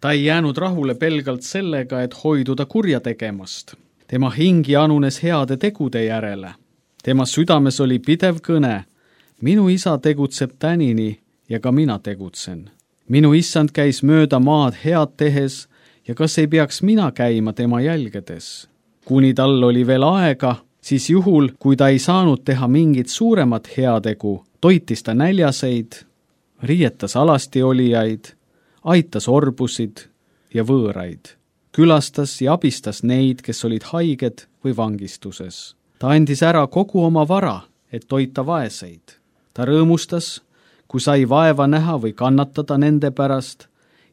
ta ei jäänud rahule pelgalt sellega, et hoiduda kurja tegemast. Tema hing janunes heade tegude järele. Tema südames oli pidev kõne. Minu isa tegutseb tänini ja ka mina tegutsen. Minu issand käis mööda maad head tehes ja kas ei peaks mina käima tema jälgedes? Kuni tal oli veel aega, siis juhul, kui ta ei saanud teha mingit suuremat heategu, toitis ta näljaseid, riietas alasti olijaid, aitas orbusid ja võõraid, külastas ja abistas neid, kes olid haiged või vangistuses. Ta andis ära kogu oma vara, et toita vaeseid. Ta rõõmustas, kui sai vaeva näha või kannatada nende pärast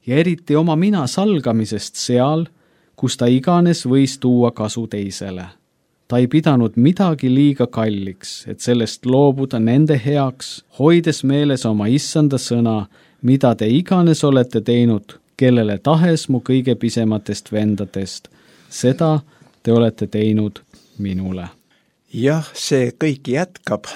ja eriti oma mina salgamisest seal, kus ta iganes võis tuua kasu teisele. Ta ei pidanud midagi liiga kalliks, et sellest loobuda nende heaks, hoides meeles oma issanda sõna, mida te iganes olete teinud, kellele tahes mu kõige pisematest vendadest. Seda te olete teinud minule. Jah, see kõik jätkab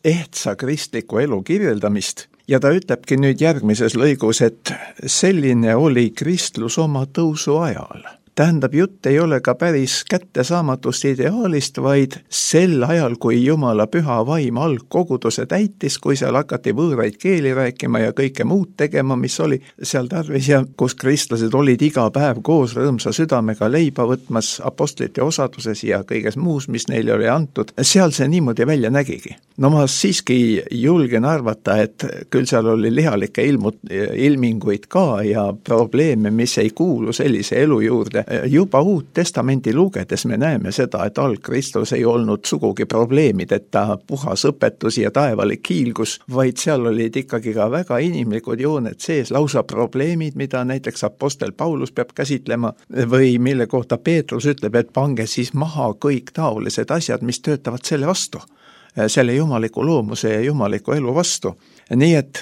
ehtsa kristliku elu kirjeldamist ja ta ütlebki nüüd järgmises lõigus, et selline oli kristlus oma tõusu ajal. Tähendab, jutt ei ole ka päris kättesaamatust ideaalist, vaid sel ajal, kui Jumala püha vaim algkoguduse täitis, kui seal hakati võõraid keeli rääkima ja kõike muud tegema, mis oli seal tarvis ja kus kristlased olid iga päev koos rõõmsa südamega leiba võtmas apostlite osaduses ja kõiges muus, mis neile oli antud, seal see niimoodi välja nägigi. No ma siiski julgen arvata, et küll seal oli lihalikke ilminguid ka ja probleeme, mis ei kuulu sellise elu juurde. Juba Uut Testamenti lugedes me näeme seda, et algkristlus ei olnud sugugi probleemideta puhas õpetus ja taevalik hiilgus, vaid seal olid ikkagi ka väga inimlikud jooned sees, lausa probleemid, mida näiteks apostel Paulus peab käsitlema või mille kohta Peetrus ütleb, et pange siis maha kõik taolised asjad, mis töötavad selle vastu, selle jumaliku loomuse ja jumaliku elu vastu. Nii et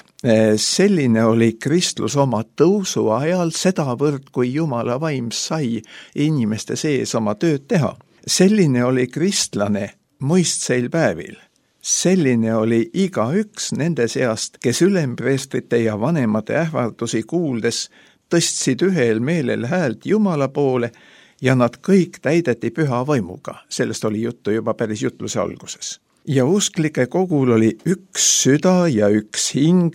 selline oli kristlus oma tõusu ajal sedavõrd, kui Jumala vaim sai inimeste sees oma tööd teha. Selline oli kristlane mõistseil päevil. Selline oli igaüks nende seast, kes ülempreestrite ja vanemate ähvardusi kuuldes tõstsid ühel meelel häält Jumala poole ja nad kõik täideti püha vaimuga. Sellest oli juttu juba päris jutluse alguses. Ja usklike kogul oli üks süda ja üks hing,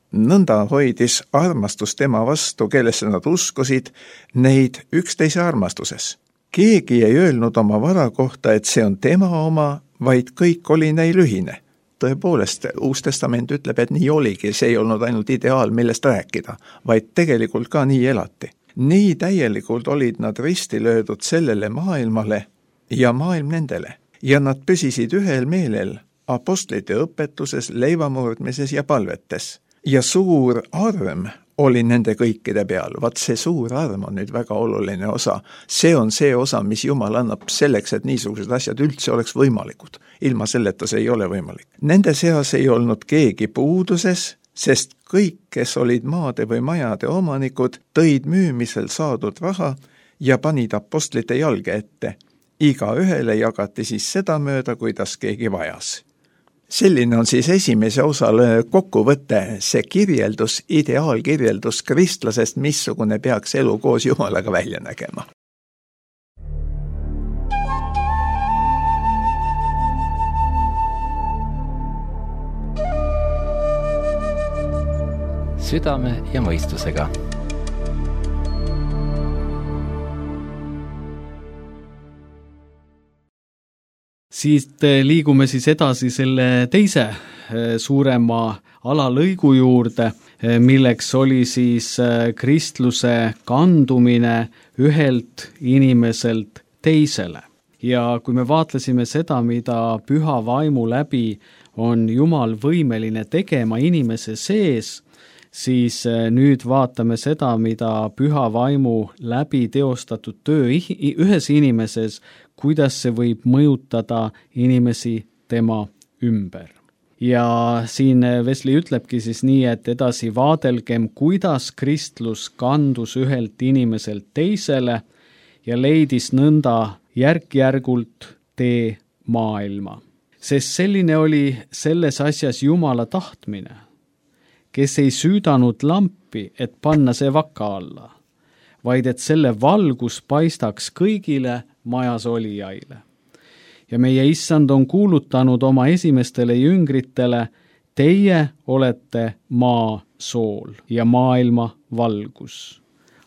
nõnda hoidis armastus tema vastu, kellesse nad uskusid, neid üksteise armastuses. Keegi ei öelnud oma vara kohta, et see on tema oma, vaid kõik oli neil ühine. Tõepoolest, Uus Testament ütleb, et nii oligi, see ei olnud ainult ideaal, millest rääkida, vaid tegelikult ka nii elati. Nii täielikult olid nad risti löödud sellele maailmale ja maailm nendele. Ja nad püsisid ühel meelel apostlite õpetuses, leivamurdmises ja palvetes. Ja suur arm oli nende kõikide peal. Vaat see suur arm on nüüd väga oluline osa. See on see osa, mis Jumal annab selleks, et niisugused asjad üldse oleks võimalikud. Ilma selleta see ei ole võimalik. Nende seas ei olnud keegi puuduses, sest kõik, kes olid maade või majade omanikud, tõid müümisel saadud raha ja panid apostlite jalge ette. Iga ühele jagati siis seda mööda, kuidas keegi vajas. Selline on siis esimese osale kokkuvõte, see kirjeldus, ideaalkirjeldus kristlasest, missugune peaks elu koos Jumalaga välja nägema. Südame ja mõistusega. Siit liigume siis edasi selle teise suurema alalõigu juurde, milleks oli siis kristluse kandumine ühelt inimeselt teisele. Ja kui me vaatlesime seda, mida püha vaimu läbi on Jumal võimeline tegema inimese sees, siis nüüd vaatame seda, mida püha vaimu läbi teostatud töö ühes inimeses, kuidas see võib mõjutada inimesi tema ümber. Ja siin Wesley ütlebki siis nii, et edasi vaadelgem, kuidas kristlus kandus ühelt inimeselt teisele ja leidis nõnda järk-järgult tee maailma. Sest selline oli selles asjas Jumala tahtmine, kes ei süüdanud lampi, et panna see vaka alla, vaid et selle valgus paistaks kõigile majas olijaile. Ja meie issand on kuulutanud oma esimestele jüngritele, teie olete maa sool ja maailma valgus,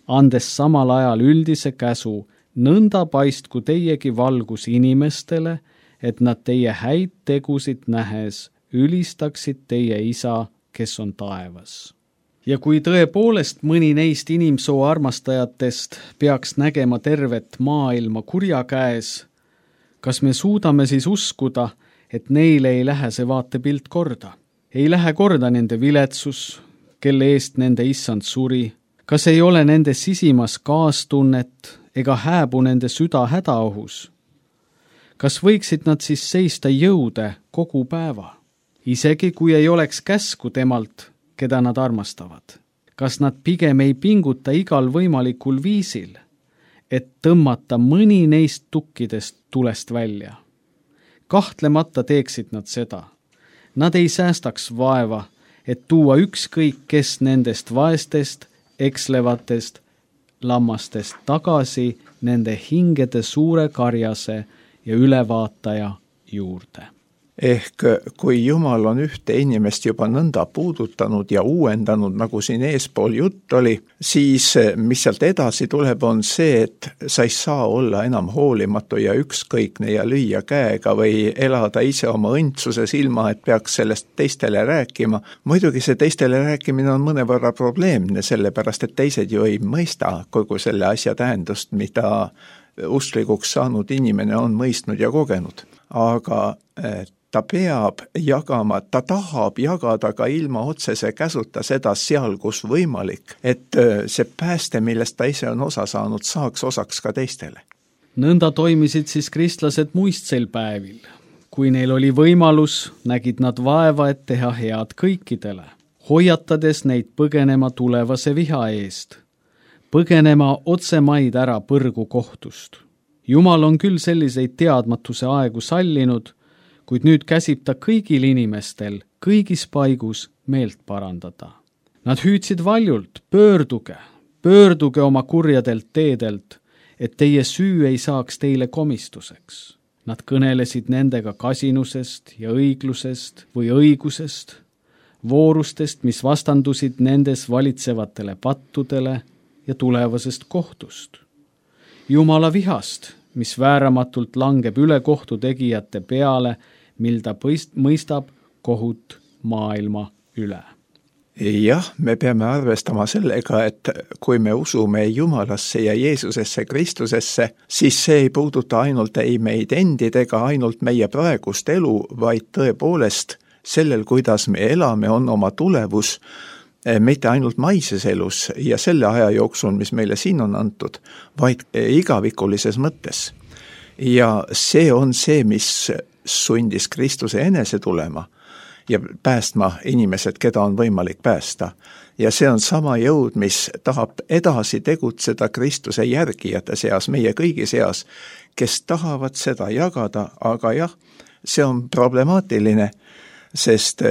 andes samal ajal üldise käsu, nõnda paistku teiegi valgus inimestele, et nad teie häid tegusid nähes ülistaksid teie isa, kes on taevas. Ja kui tõepoolest mõni neist inimsoo armastajatest peaks nägema tervet maailma kurja käes, kas me suudame siis uskuda, et neile ei lähe see vaatepilt korda? Ei lähe korda nende viletsus, kelle eest nende issand suri? Kas ei ole nende sisimas kaastunnet ega hääbu nende süda hädaohus? Kas võiksid nad siis seista jõude kogu päeva? Isegi kui ei oleks käsku temalt, keda nad armastavad. Kas nad pigem ei pinguta igal võimalikul viisil, et tõmmata mõni neist tukkidest tulest välja? Kahtlemata teeksid nad seda. Nad ei säästaks vaeva, et tuua ükskõik kes nendest vaestest, ekslevatest lammastest tagasi nende hingede suure karjase ja ülevaataja juurde. Ehk kui Jumal on ühte inimest juba nõnda puudutanud ja uuendanud, nagu siin eespool jutt oli, siis mis sealt edasi tuleb, on see, et sa ei saa olla enam hoolimatu ja ükskõikne ja lüüa käega või elada ise oma õndsuses ilma, et peaks sellest teistele rääkima. Muidugi see teistele rääkimine on mõnevõrra probleemne, sellepärast et teised ju ei mõista kogu selle asja tähendust, mida usklikuks saanud inimene on mõistnud ja kogenud. Aga ta peab jagama, ta tahab jagada ka ilma otsese käsuta seda seal, kus võimalik, et see pääste, millest ta ise on osa saanud, saaks osaks ka teistele. Nõnda toimisid siis kristlased muistseil päevil. Kui neil oli võimalus, nägid nad vaeva, et teha head kõikidele, hoiatades neid põgenema tulevase viha eest, põgenema otsemaid ära põrgu kohtust. Jumal on küll selliseid teadmatuse aegu sallinud, kuid nüüd käsib ta kõigil inimestel kõigis paigus meelt parandada. Nad hüüdsid valjult, pöörduge oma kurjadelt teedelt, et teie süü ei saaks teile komistuseks. Nad kõnelesid nendega kasinusest ja õiglusest või õigusest, voorustest, mis vastandusid nendes valitsevatele pattudele ja tulevasest kohtust. Jumala vihast, mis vääramatult langeb üle kohtu tegijate peale, mil ta mõistab kohut maailma üle. Jah, me peame arvestama sellega, et kui me usume Jumalasse ja Jeesusesse, Kristusesse, siis see ei puuduta ainult ei meid endid ega ainult meie praegust elu, vaid tõepoolest sellel, kuidas me elame, on oma tulevus, mitte ainult maises elus ja selle aja jooksul, mis meile siin on antud, vaid igavikulises mõttes. Ja see on see, mis sundis Kristuse enese tulema ja päästma inimesed, keda on võimalik päästa. Ja see on sama jõud, mis tahab edasi tegutseda Kristuse järgijate seas, meie kõigi seas, kes tahavad seda jagada, aga jah, see on problemaatiline, sest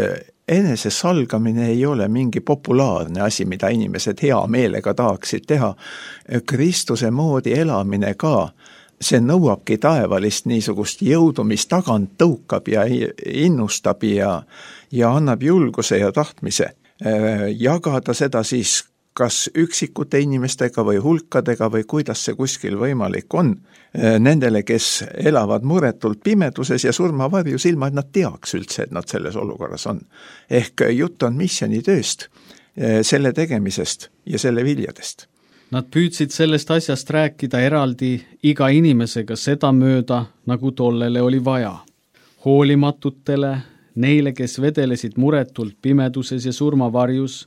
enesesalgamine ei ole mingi populaarne asi, mida inimesed hea meelega tahaksid teha. Kristuse moodi elamine ka, see nõuabki taevalist niisugust jõudu, mis tagant tõukab ja innustab ja annab julguse ja tahtmise. Jagada seda siis kas üksikute inimestega või hulkadega või kuidas see kuskil võimalik on. Nendele, kes elavad muretult pimeduses ja surmavarjus, ilma et nad teaks üldse, et nad selles olukorras on. Ehk jutt on missionitööst, selle tegemisest ja selle viljadest. Nad püüdsid sellest asjast rääkida eraldi iga inimesega seda mööda, nagu tollele oli vaja. Hoolimatutele, neile, kes vedelesid muretult pimeduses ja surmavarjus,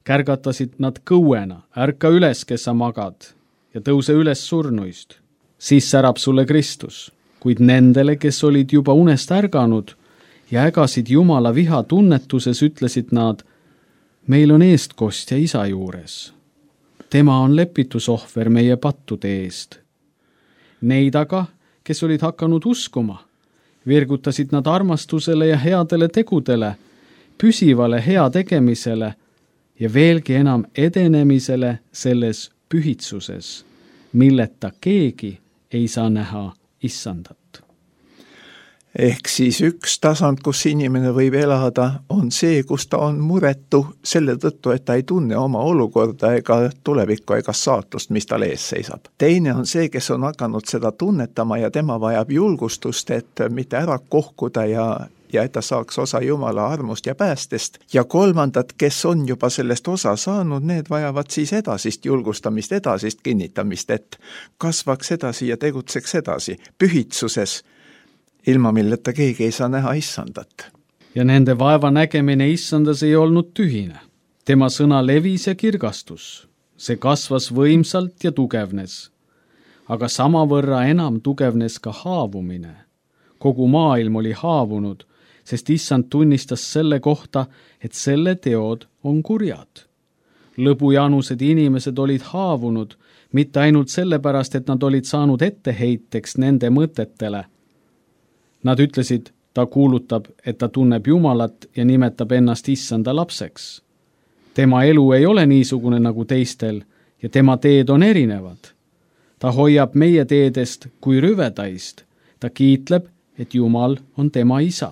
kärgatasid nad kõuena, ärka üles, kes sa magad, ja tõuse üles surnuist. Siis särab sulle Kristus, kuid nendele, kes olid juba unest ärganud ja ägasid Jumala viha tunnetuses, ütlesid nad, meil on eestkostja isa juures. Tema on lepitusohver meie pattude eest. Neid aga, kes olid hakanud uskuma, virgutasid nad armastusele ja headele tegudele, püsivale hea tegemisele ja veelgi enam edenemisele selles pühitsuses, milleta keegi ei saa näha issandat. Ehk siis üks tasand, kus inimene võib elada, on see, kus ta on muretu selle tõttu, et ta ei tunne oma olukorda ega tulevikku ega saatust, mis tal ees seisab. Teine on see, kes on hakanud seda tunnetama ja tema vajab julgustust, et mitte ära kohkuda ja et ta saaks osa Jumala armust ja päästest. Ja kolmandad, kes on juba sellest osa saanud, need vajavad siis edasist julgustamist, edasist kinnitamist, et kasvaks edasi ja tegutseks edasi pühitsuses, ilma milleta keegi ei saa näha issandat. Ja nende vaeva nägemine issandas ei olnud tühine. Tema sõna levis ja kirgastus. See kasvas võimsalt ja tugevnes. Aga samavõrra enam tugevnes ka haavumine. Kogu maailm oli haavunud, sest issand tunnistas selle kohta, et selle teod on kurjad. Lõbujanused inimesed olid haavunud, mitte ainult sellepärast, et nad olid saanud etteheiteks nende mõtetele. Nad ütlesid, ta kuulutab, et ta tunneb Jumalat ja nimetab ennast issanda lapseks. Tema elu ei ole niisugune nagu teistel ja tema teed on erinevad. Ta hoiab meie teedest kui rüvedaist. Ta kiitleb, et Jumal on tema isa.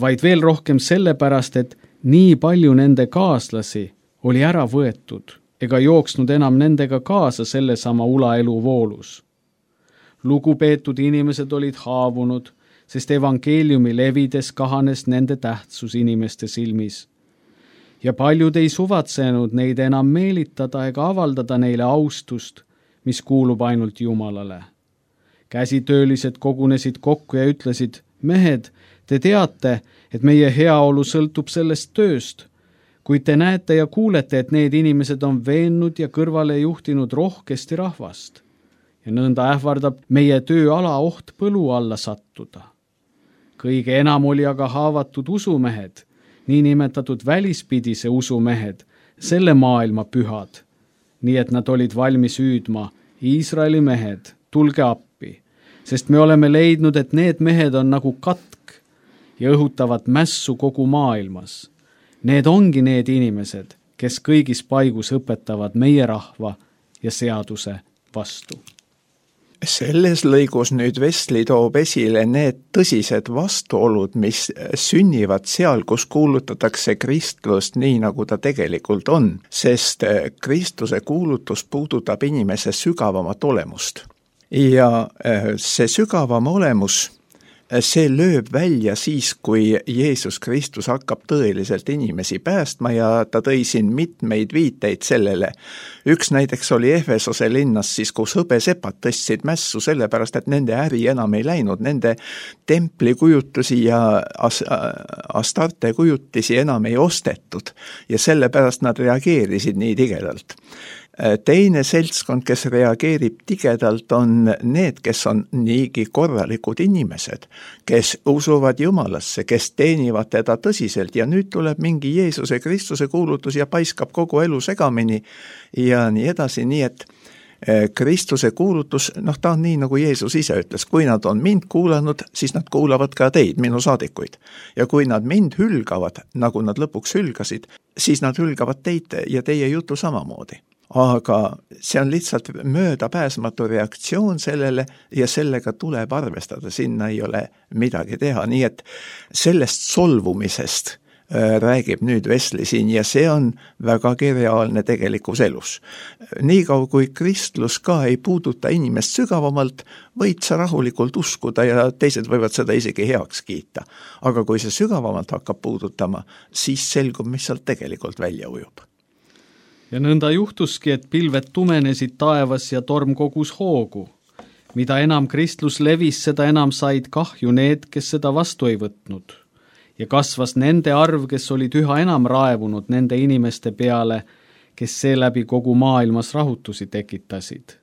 Vaid veel rohkem sellepärast, et nii palju nende kaaslasi oli ära võetud ega jooksnud enam nendega kaasa sellesama ulaelu voolus. Lugupeetud inimesed olid haavunud, sest evangeeliumi levides kahanes nende tähtsus inimeste silmis. Ja paljud ei suvatsenud neid enam meelitada ega avaldada neile austust, mis kuulub ainult Jumalale. Käsitöölised kogunesid kokku ja ütlesid, mehed, te teate, et meie heaolu sõltub sellest tööst, kuid te näete ja kuulete, et need inimesed on veennud ja kõrvale juhtinud rohkesti rahvast. Ja nõnda ähvardab meie tööala oht põlu alla sattuda. Kõige enam oli aga haavatud usumehed, niinimetatud välispidise usumehed, selle maailma pühad, nii et nad olid valmis hüüdma, Iisraeli mehed, tulge appi, sest me oleme leidnud, et need mehed on nagu katk ja õhutavad mässu kogu maailmas. Need ongi need inimesed, kes kõigis paigus õpetavad meie rahva ja seaduse vastu. Selles lõigus nüüd Wesley toob esile need tõsised vastuolud, mis sünnivad seal, kus kuulutatakse kristlust nii, nagu ta tegelikult on, sest Kristuse kuulutus puudutab inimese sügavamat olemust. Ja see sügavam olemus, see lööb välja siis, kui Jeesus Kristus hakkab tõeliselt inimesi päästma ja ta tõi siin mitmeid viiteid sellele. Üks näiteks oli Efesose linnas siis, kus hõbesepad tõstsid mässu sellepärast, et nende äri enam ei läinud, nende templikujutusi ja Astarte kujutisi enam ei ostetud ja sellepärast nad reageerisid nii tigedalt. Teine seltskond, kes reageerib tigedalt, on need, kes on niigi korralikud inimesed, kes usuvad Jumalasse, kes teenivad teda tõsiselt ja nüüd tuleb mingi Jeesuse Kristuse kuulutus ja paiskab kogu elu segamini ja nii edasi, nii et Kristuse kuulutus, ta on nii, nagu Jeesus ise ütles, kui nad on mind kuulanud, siis nad kuulavad ka teid, minu saadikuid. Ja kui nad mind hülgavad, nagu nad lõpuks hülgasid, siis nad hülgavad teid ja teie jutu samamoodi. Aga see on lihtsalt möödapääsmatu reaktsioon sellele ja sellega tuleb arvestada, sinna ei ole midagi teha, nii et sellest solvumisest räägib nüüd Wesley siin ja see on vägagi reaalne tegelikus elus. Niikaua kui kristlus ka ei puuduta inimest sügavamalt, võid sa rahulikult uskuda ja teised võivad seda isegi heaks kiita. Aga kui see sügavamalt hakkab puudutama, siis selgub, mis sealt tegelikult välja ujub. Ja nõnda juhtuski, et pilved tumenesid taevas ja torm kogus hoogu. Mida enam kristlus levis, seda enam said kahju need, kes seda vastu ei võtnud. Ja kasvas nende arv, kes olid üha enam raevunud nende inimeste peale, kes seeläbi kogu maailmas rahutusi tekitasid.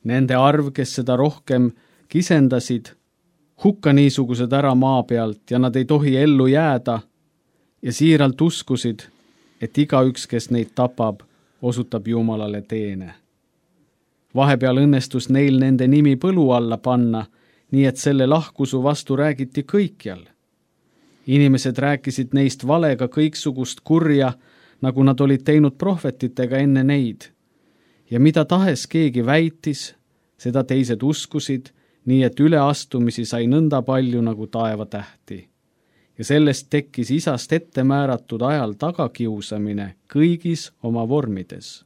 Nende arv, kes seda rohkem kisendasid, hukka niisugused ära maa pealt ja nad ei tohi ellu jääda ja siiralt uskusid, et igaüks, kes neid tapab, osutab Jumalale teene. Vahepeal õnnestus neil nende nimi põlu alla panna, nii et selle lahkusu vastu räägiti kõikjal. Inimesed rääkisid neist valega kõiksugust kurja, nagu nad olid teinud prohvetitega enne neid. Ja mida tahes keegi väitis, seda teised uskusid, nii et üleastumisi sai nõnda palju nagu taevatähti. Ja sellest tekkis isast ette määratud ajal tagakiusamine kõigis oma vormides.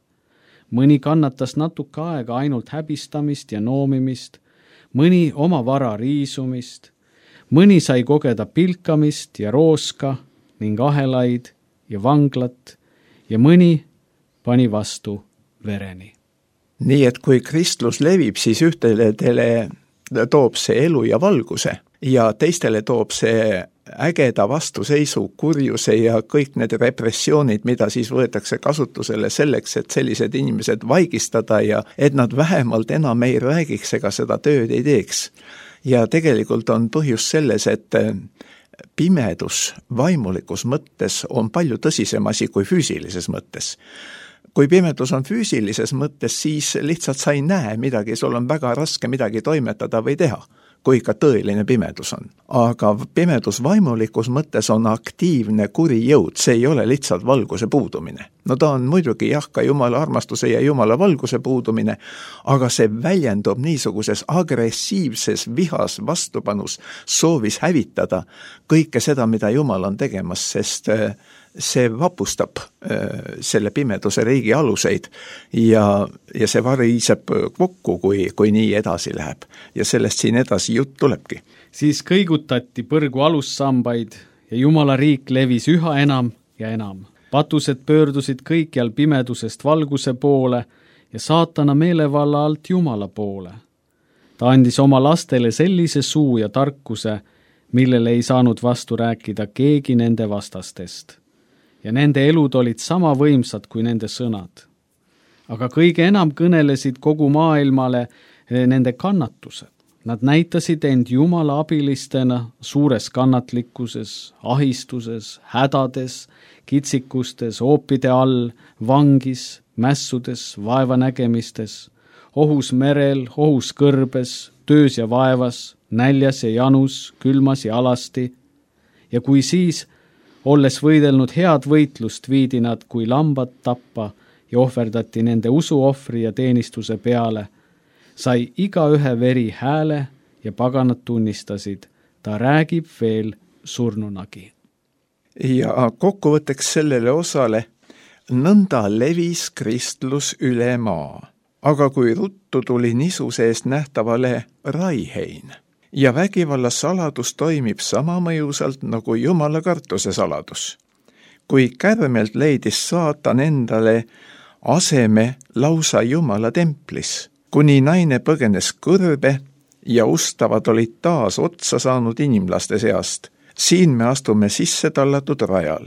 Mõni kannatas natuke aega ainult häbistamist ja noomimist, mõni oma vara riisumist, mõni sai kogeda pilkamist ja rooska ning ahelaid ja vanglat ja mõni pani vastu vereni. Nii et kui kristlus levib, siis ühtele toob see elu ja valguse ja teistele toob see ägeda vastuseisu, kurjuse ja kõik need repressioonid, mida siis võetakse kasutusele selleks, et sellised inimesed vaigistada ja et nad vähemalt enam ei räägiks ega seda tööd ei teeks. Ja tegelikult on põhjus selles, et pimedus vaimulikus mõttes on palju tõsisem asi kui füüsilises mõttes. Kui pimedus on füüsilises mõttes, siis lihtsalt sa ei näe midagi, sul on väga raske midagi toimetada või teha, kui ka tõeline pimedus on. Aga pimedus vaimulikus mõttes on aktiivne kuri jõud, see ei ole lihtsalt valguse puudumine. Ta on muidugi ka Jumala armastuse ja Jumala valguse puudumine, aga see väljendub niisuguses agressiivses vihas, vastupanus, soovis hävitada kõike seda, mida Jumal on tegemas, sest see vapustab selle pimeduse riigi aluseid ja see variseb kokku, kui nii edasi läheb. Ja sellest siin edasi jutt tulebki. Siis kõigutati põrgu alussambaid ja Jumala riik levis üha enam ja enam. Patused pöördusid kõikjal pimedusest valguse poole ja saatana meelevalla alt Jumala poole. Ta andis oma lastele sellise suu ja tarkuse, millele ei saanud vastu rääkida keegi nende vastastest. Ja nende elud olid sama võimsad kui nende sõnad. Aga kõige enam kõnelesid kogu maailmale nende kannatused. Nad näitasid end Jumala abilistena suures kannatlikkuses, ahistuses, hädades, kitsikustes, oopide all, vangis, mässudes, vaevanägemistes, ohus merel, ohus kõrbes, töös ja vaevas, näljas ja janus, külmas ja alasti. Ja kui siis olles võidelnud head võitlust, viidi nad kui lambad tappa ja ohverdati nende usuohvri ja teenistuse peale, sai igaühe veri hääle ja paganad tunnistasid, ta räägib veel surnunagi. Ja kokkuvõtteks sellele osale, nõnda levis kristlus üle maa, aga kui ruttu tuli nisu seest nähtavale raihein. Ja vägivalla saladus toimib sama mõjusalt nagu Jumala kartuse saladus. Kui kärmelt leidis saatan endale aseme lausa Jumala templis, kuni naine põgenes kõrbe ja ustavad olid taas otsa saanud inimlaste seast, siin me astume sisse tallatud rajal.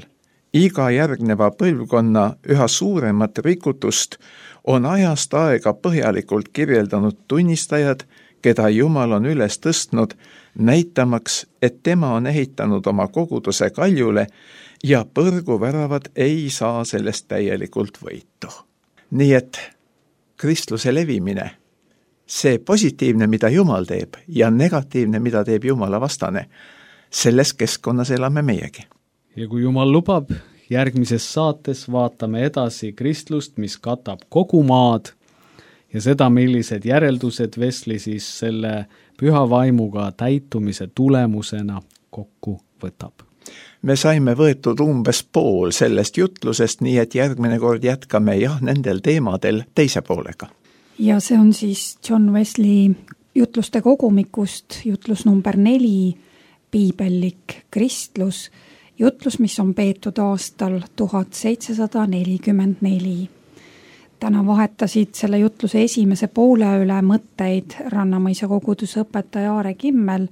Iga järgneva põlvkonna üha suuremat rikutust on ajast aega põhjalikult kirjeldanud tunnistajad, keda Jumal on üles tõstnud, näitamaks, et tema on ehitanud oma koguduse kaljule ja põrguväravad ei saa sellest täielikult võitu. Nii et kristluse levimine, see positiivne, mida Jumal teeb, ja negatiivne, mida teeb Jumala vastane, selles keskkonnas elame meiegi. Ja kui Jumal lubab, järgmises saates vaatame edasi kristlust, mis katab kogu maad ja seda, millised järeldused Wesley siis selle püha vaimuga täitumise tulemusena kokku võtab. Me saime võetud umbes pool sellest jutlusest, nii et järgmine kord jätkame nendel teemadel teise poolega. Ja see on siis John Wesley jutluste kogumikust, jutlus number 4, piibellik kristlus, jutlus, mis on peetud aastal 1744. Täna vahetasid selle jutluse esimese poole üle mõtteid Rannamõisa koguduse õpetaja Aare Kimmel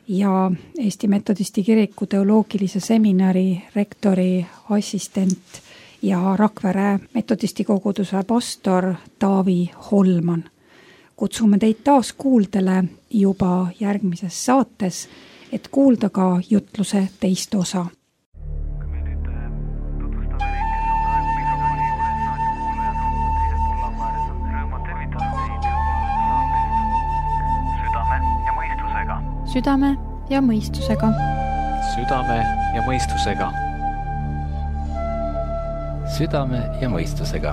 ja Eesti Metodisti Kiriku teoloogilise seminari rektori assistent ja Rakvere Metodisti koguduse pastor Taavi Holman. Kutsume teid taas kuuldele juba järgmises saates, et kuulda ka jutluse teist osa. Südame ja mõistusega. Südame ja mõistusega. Südame ja mõistusega.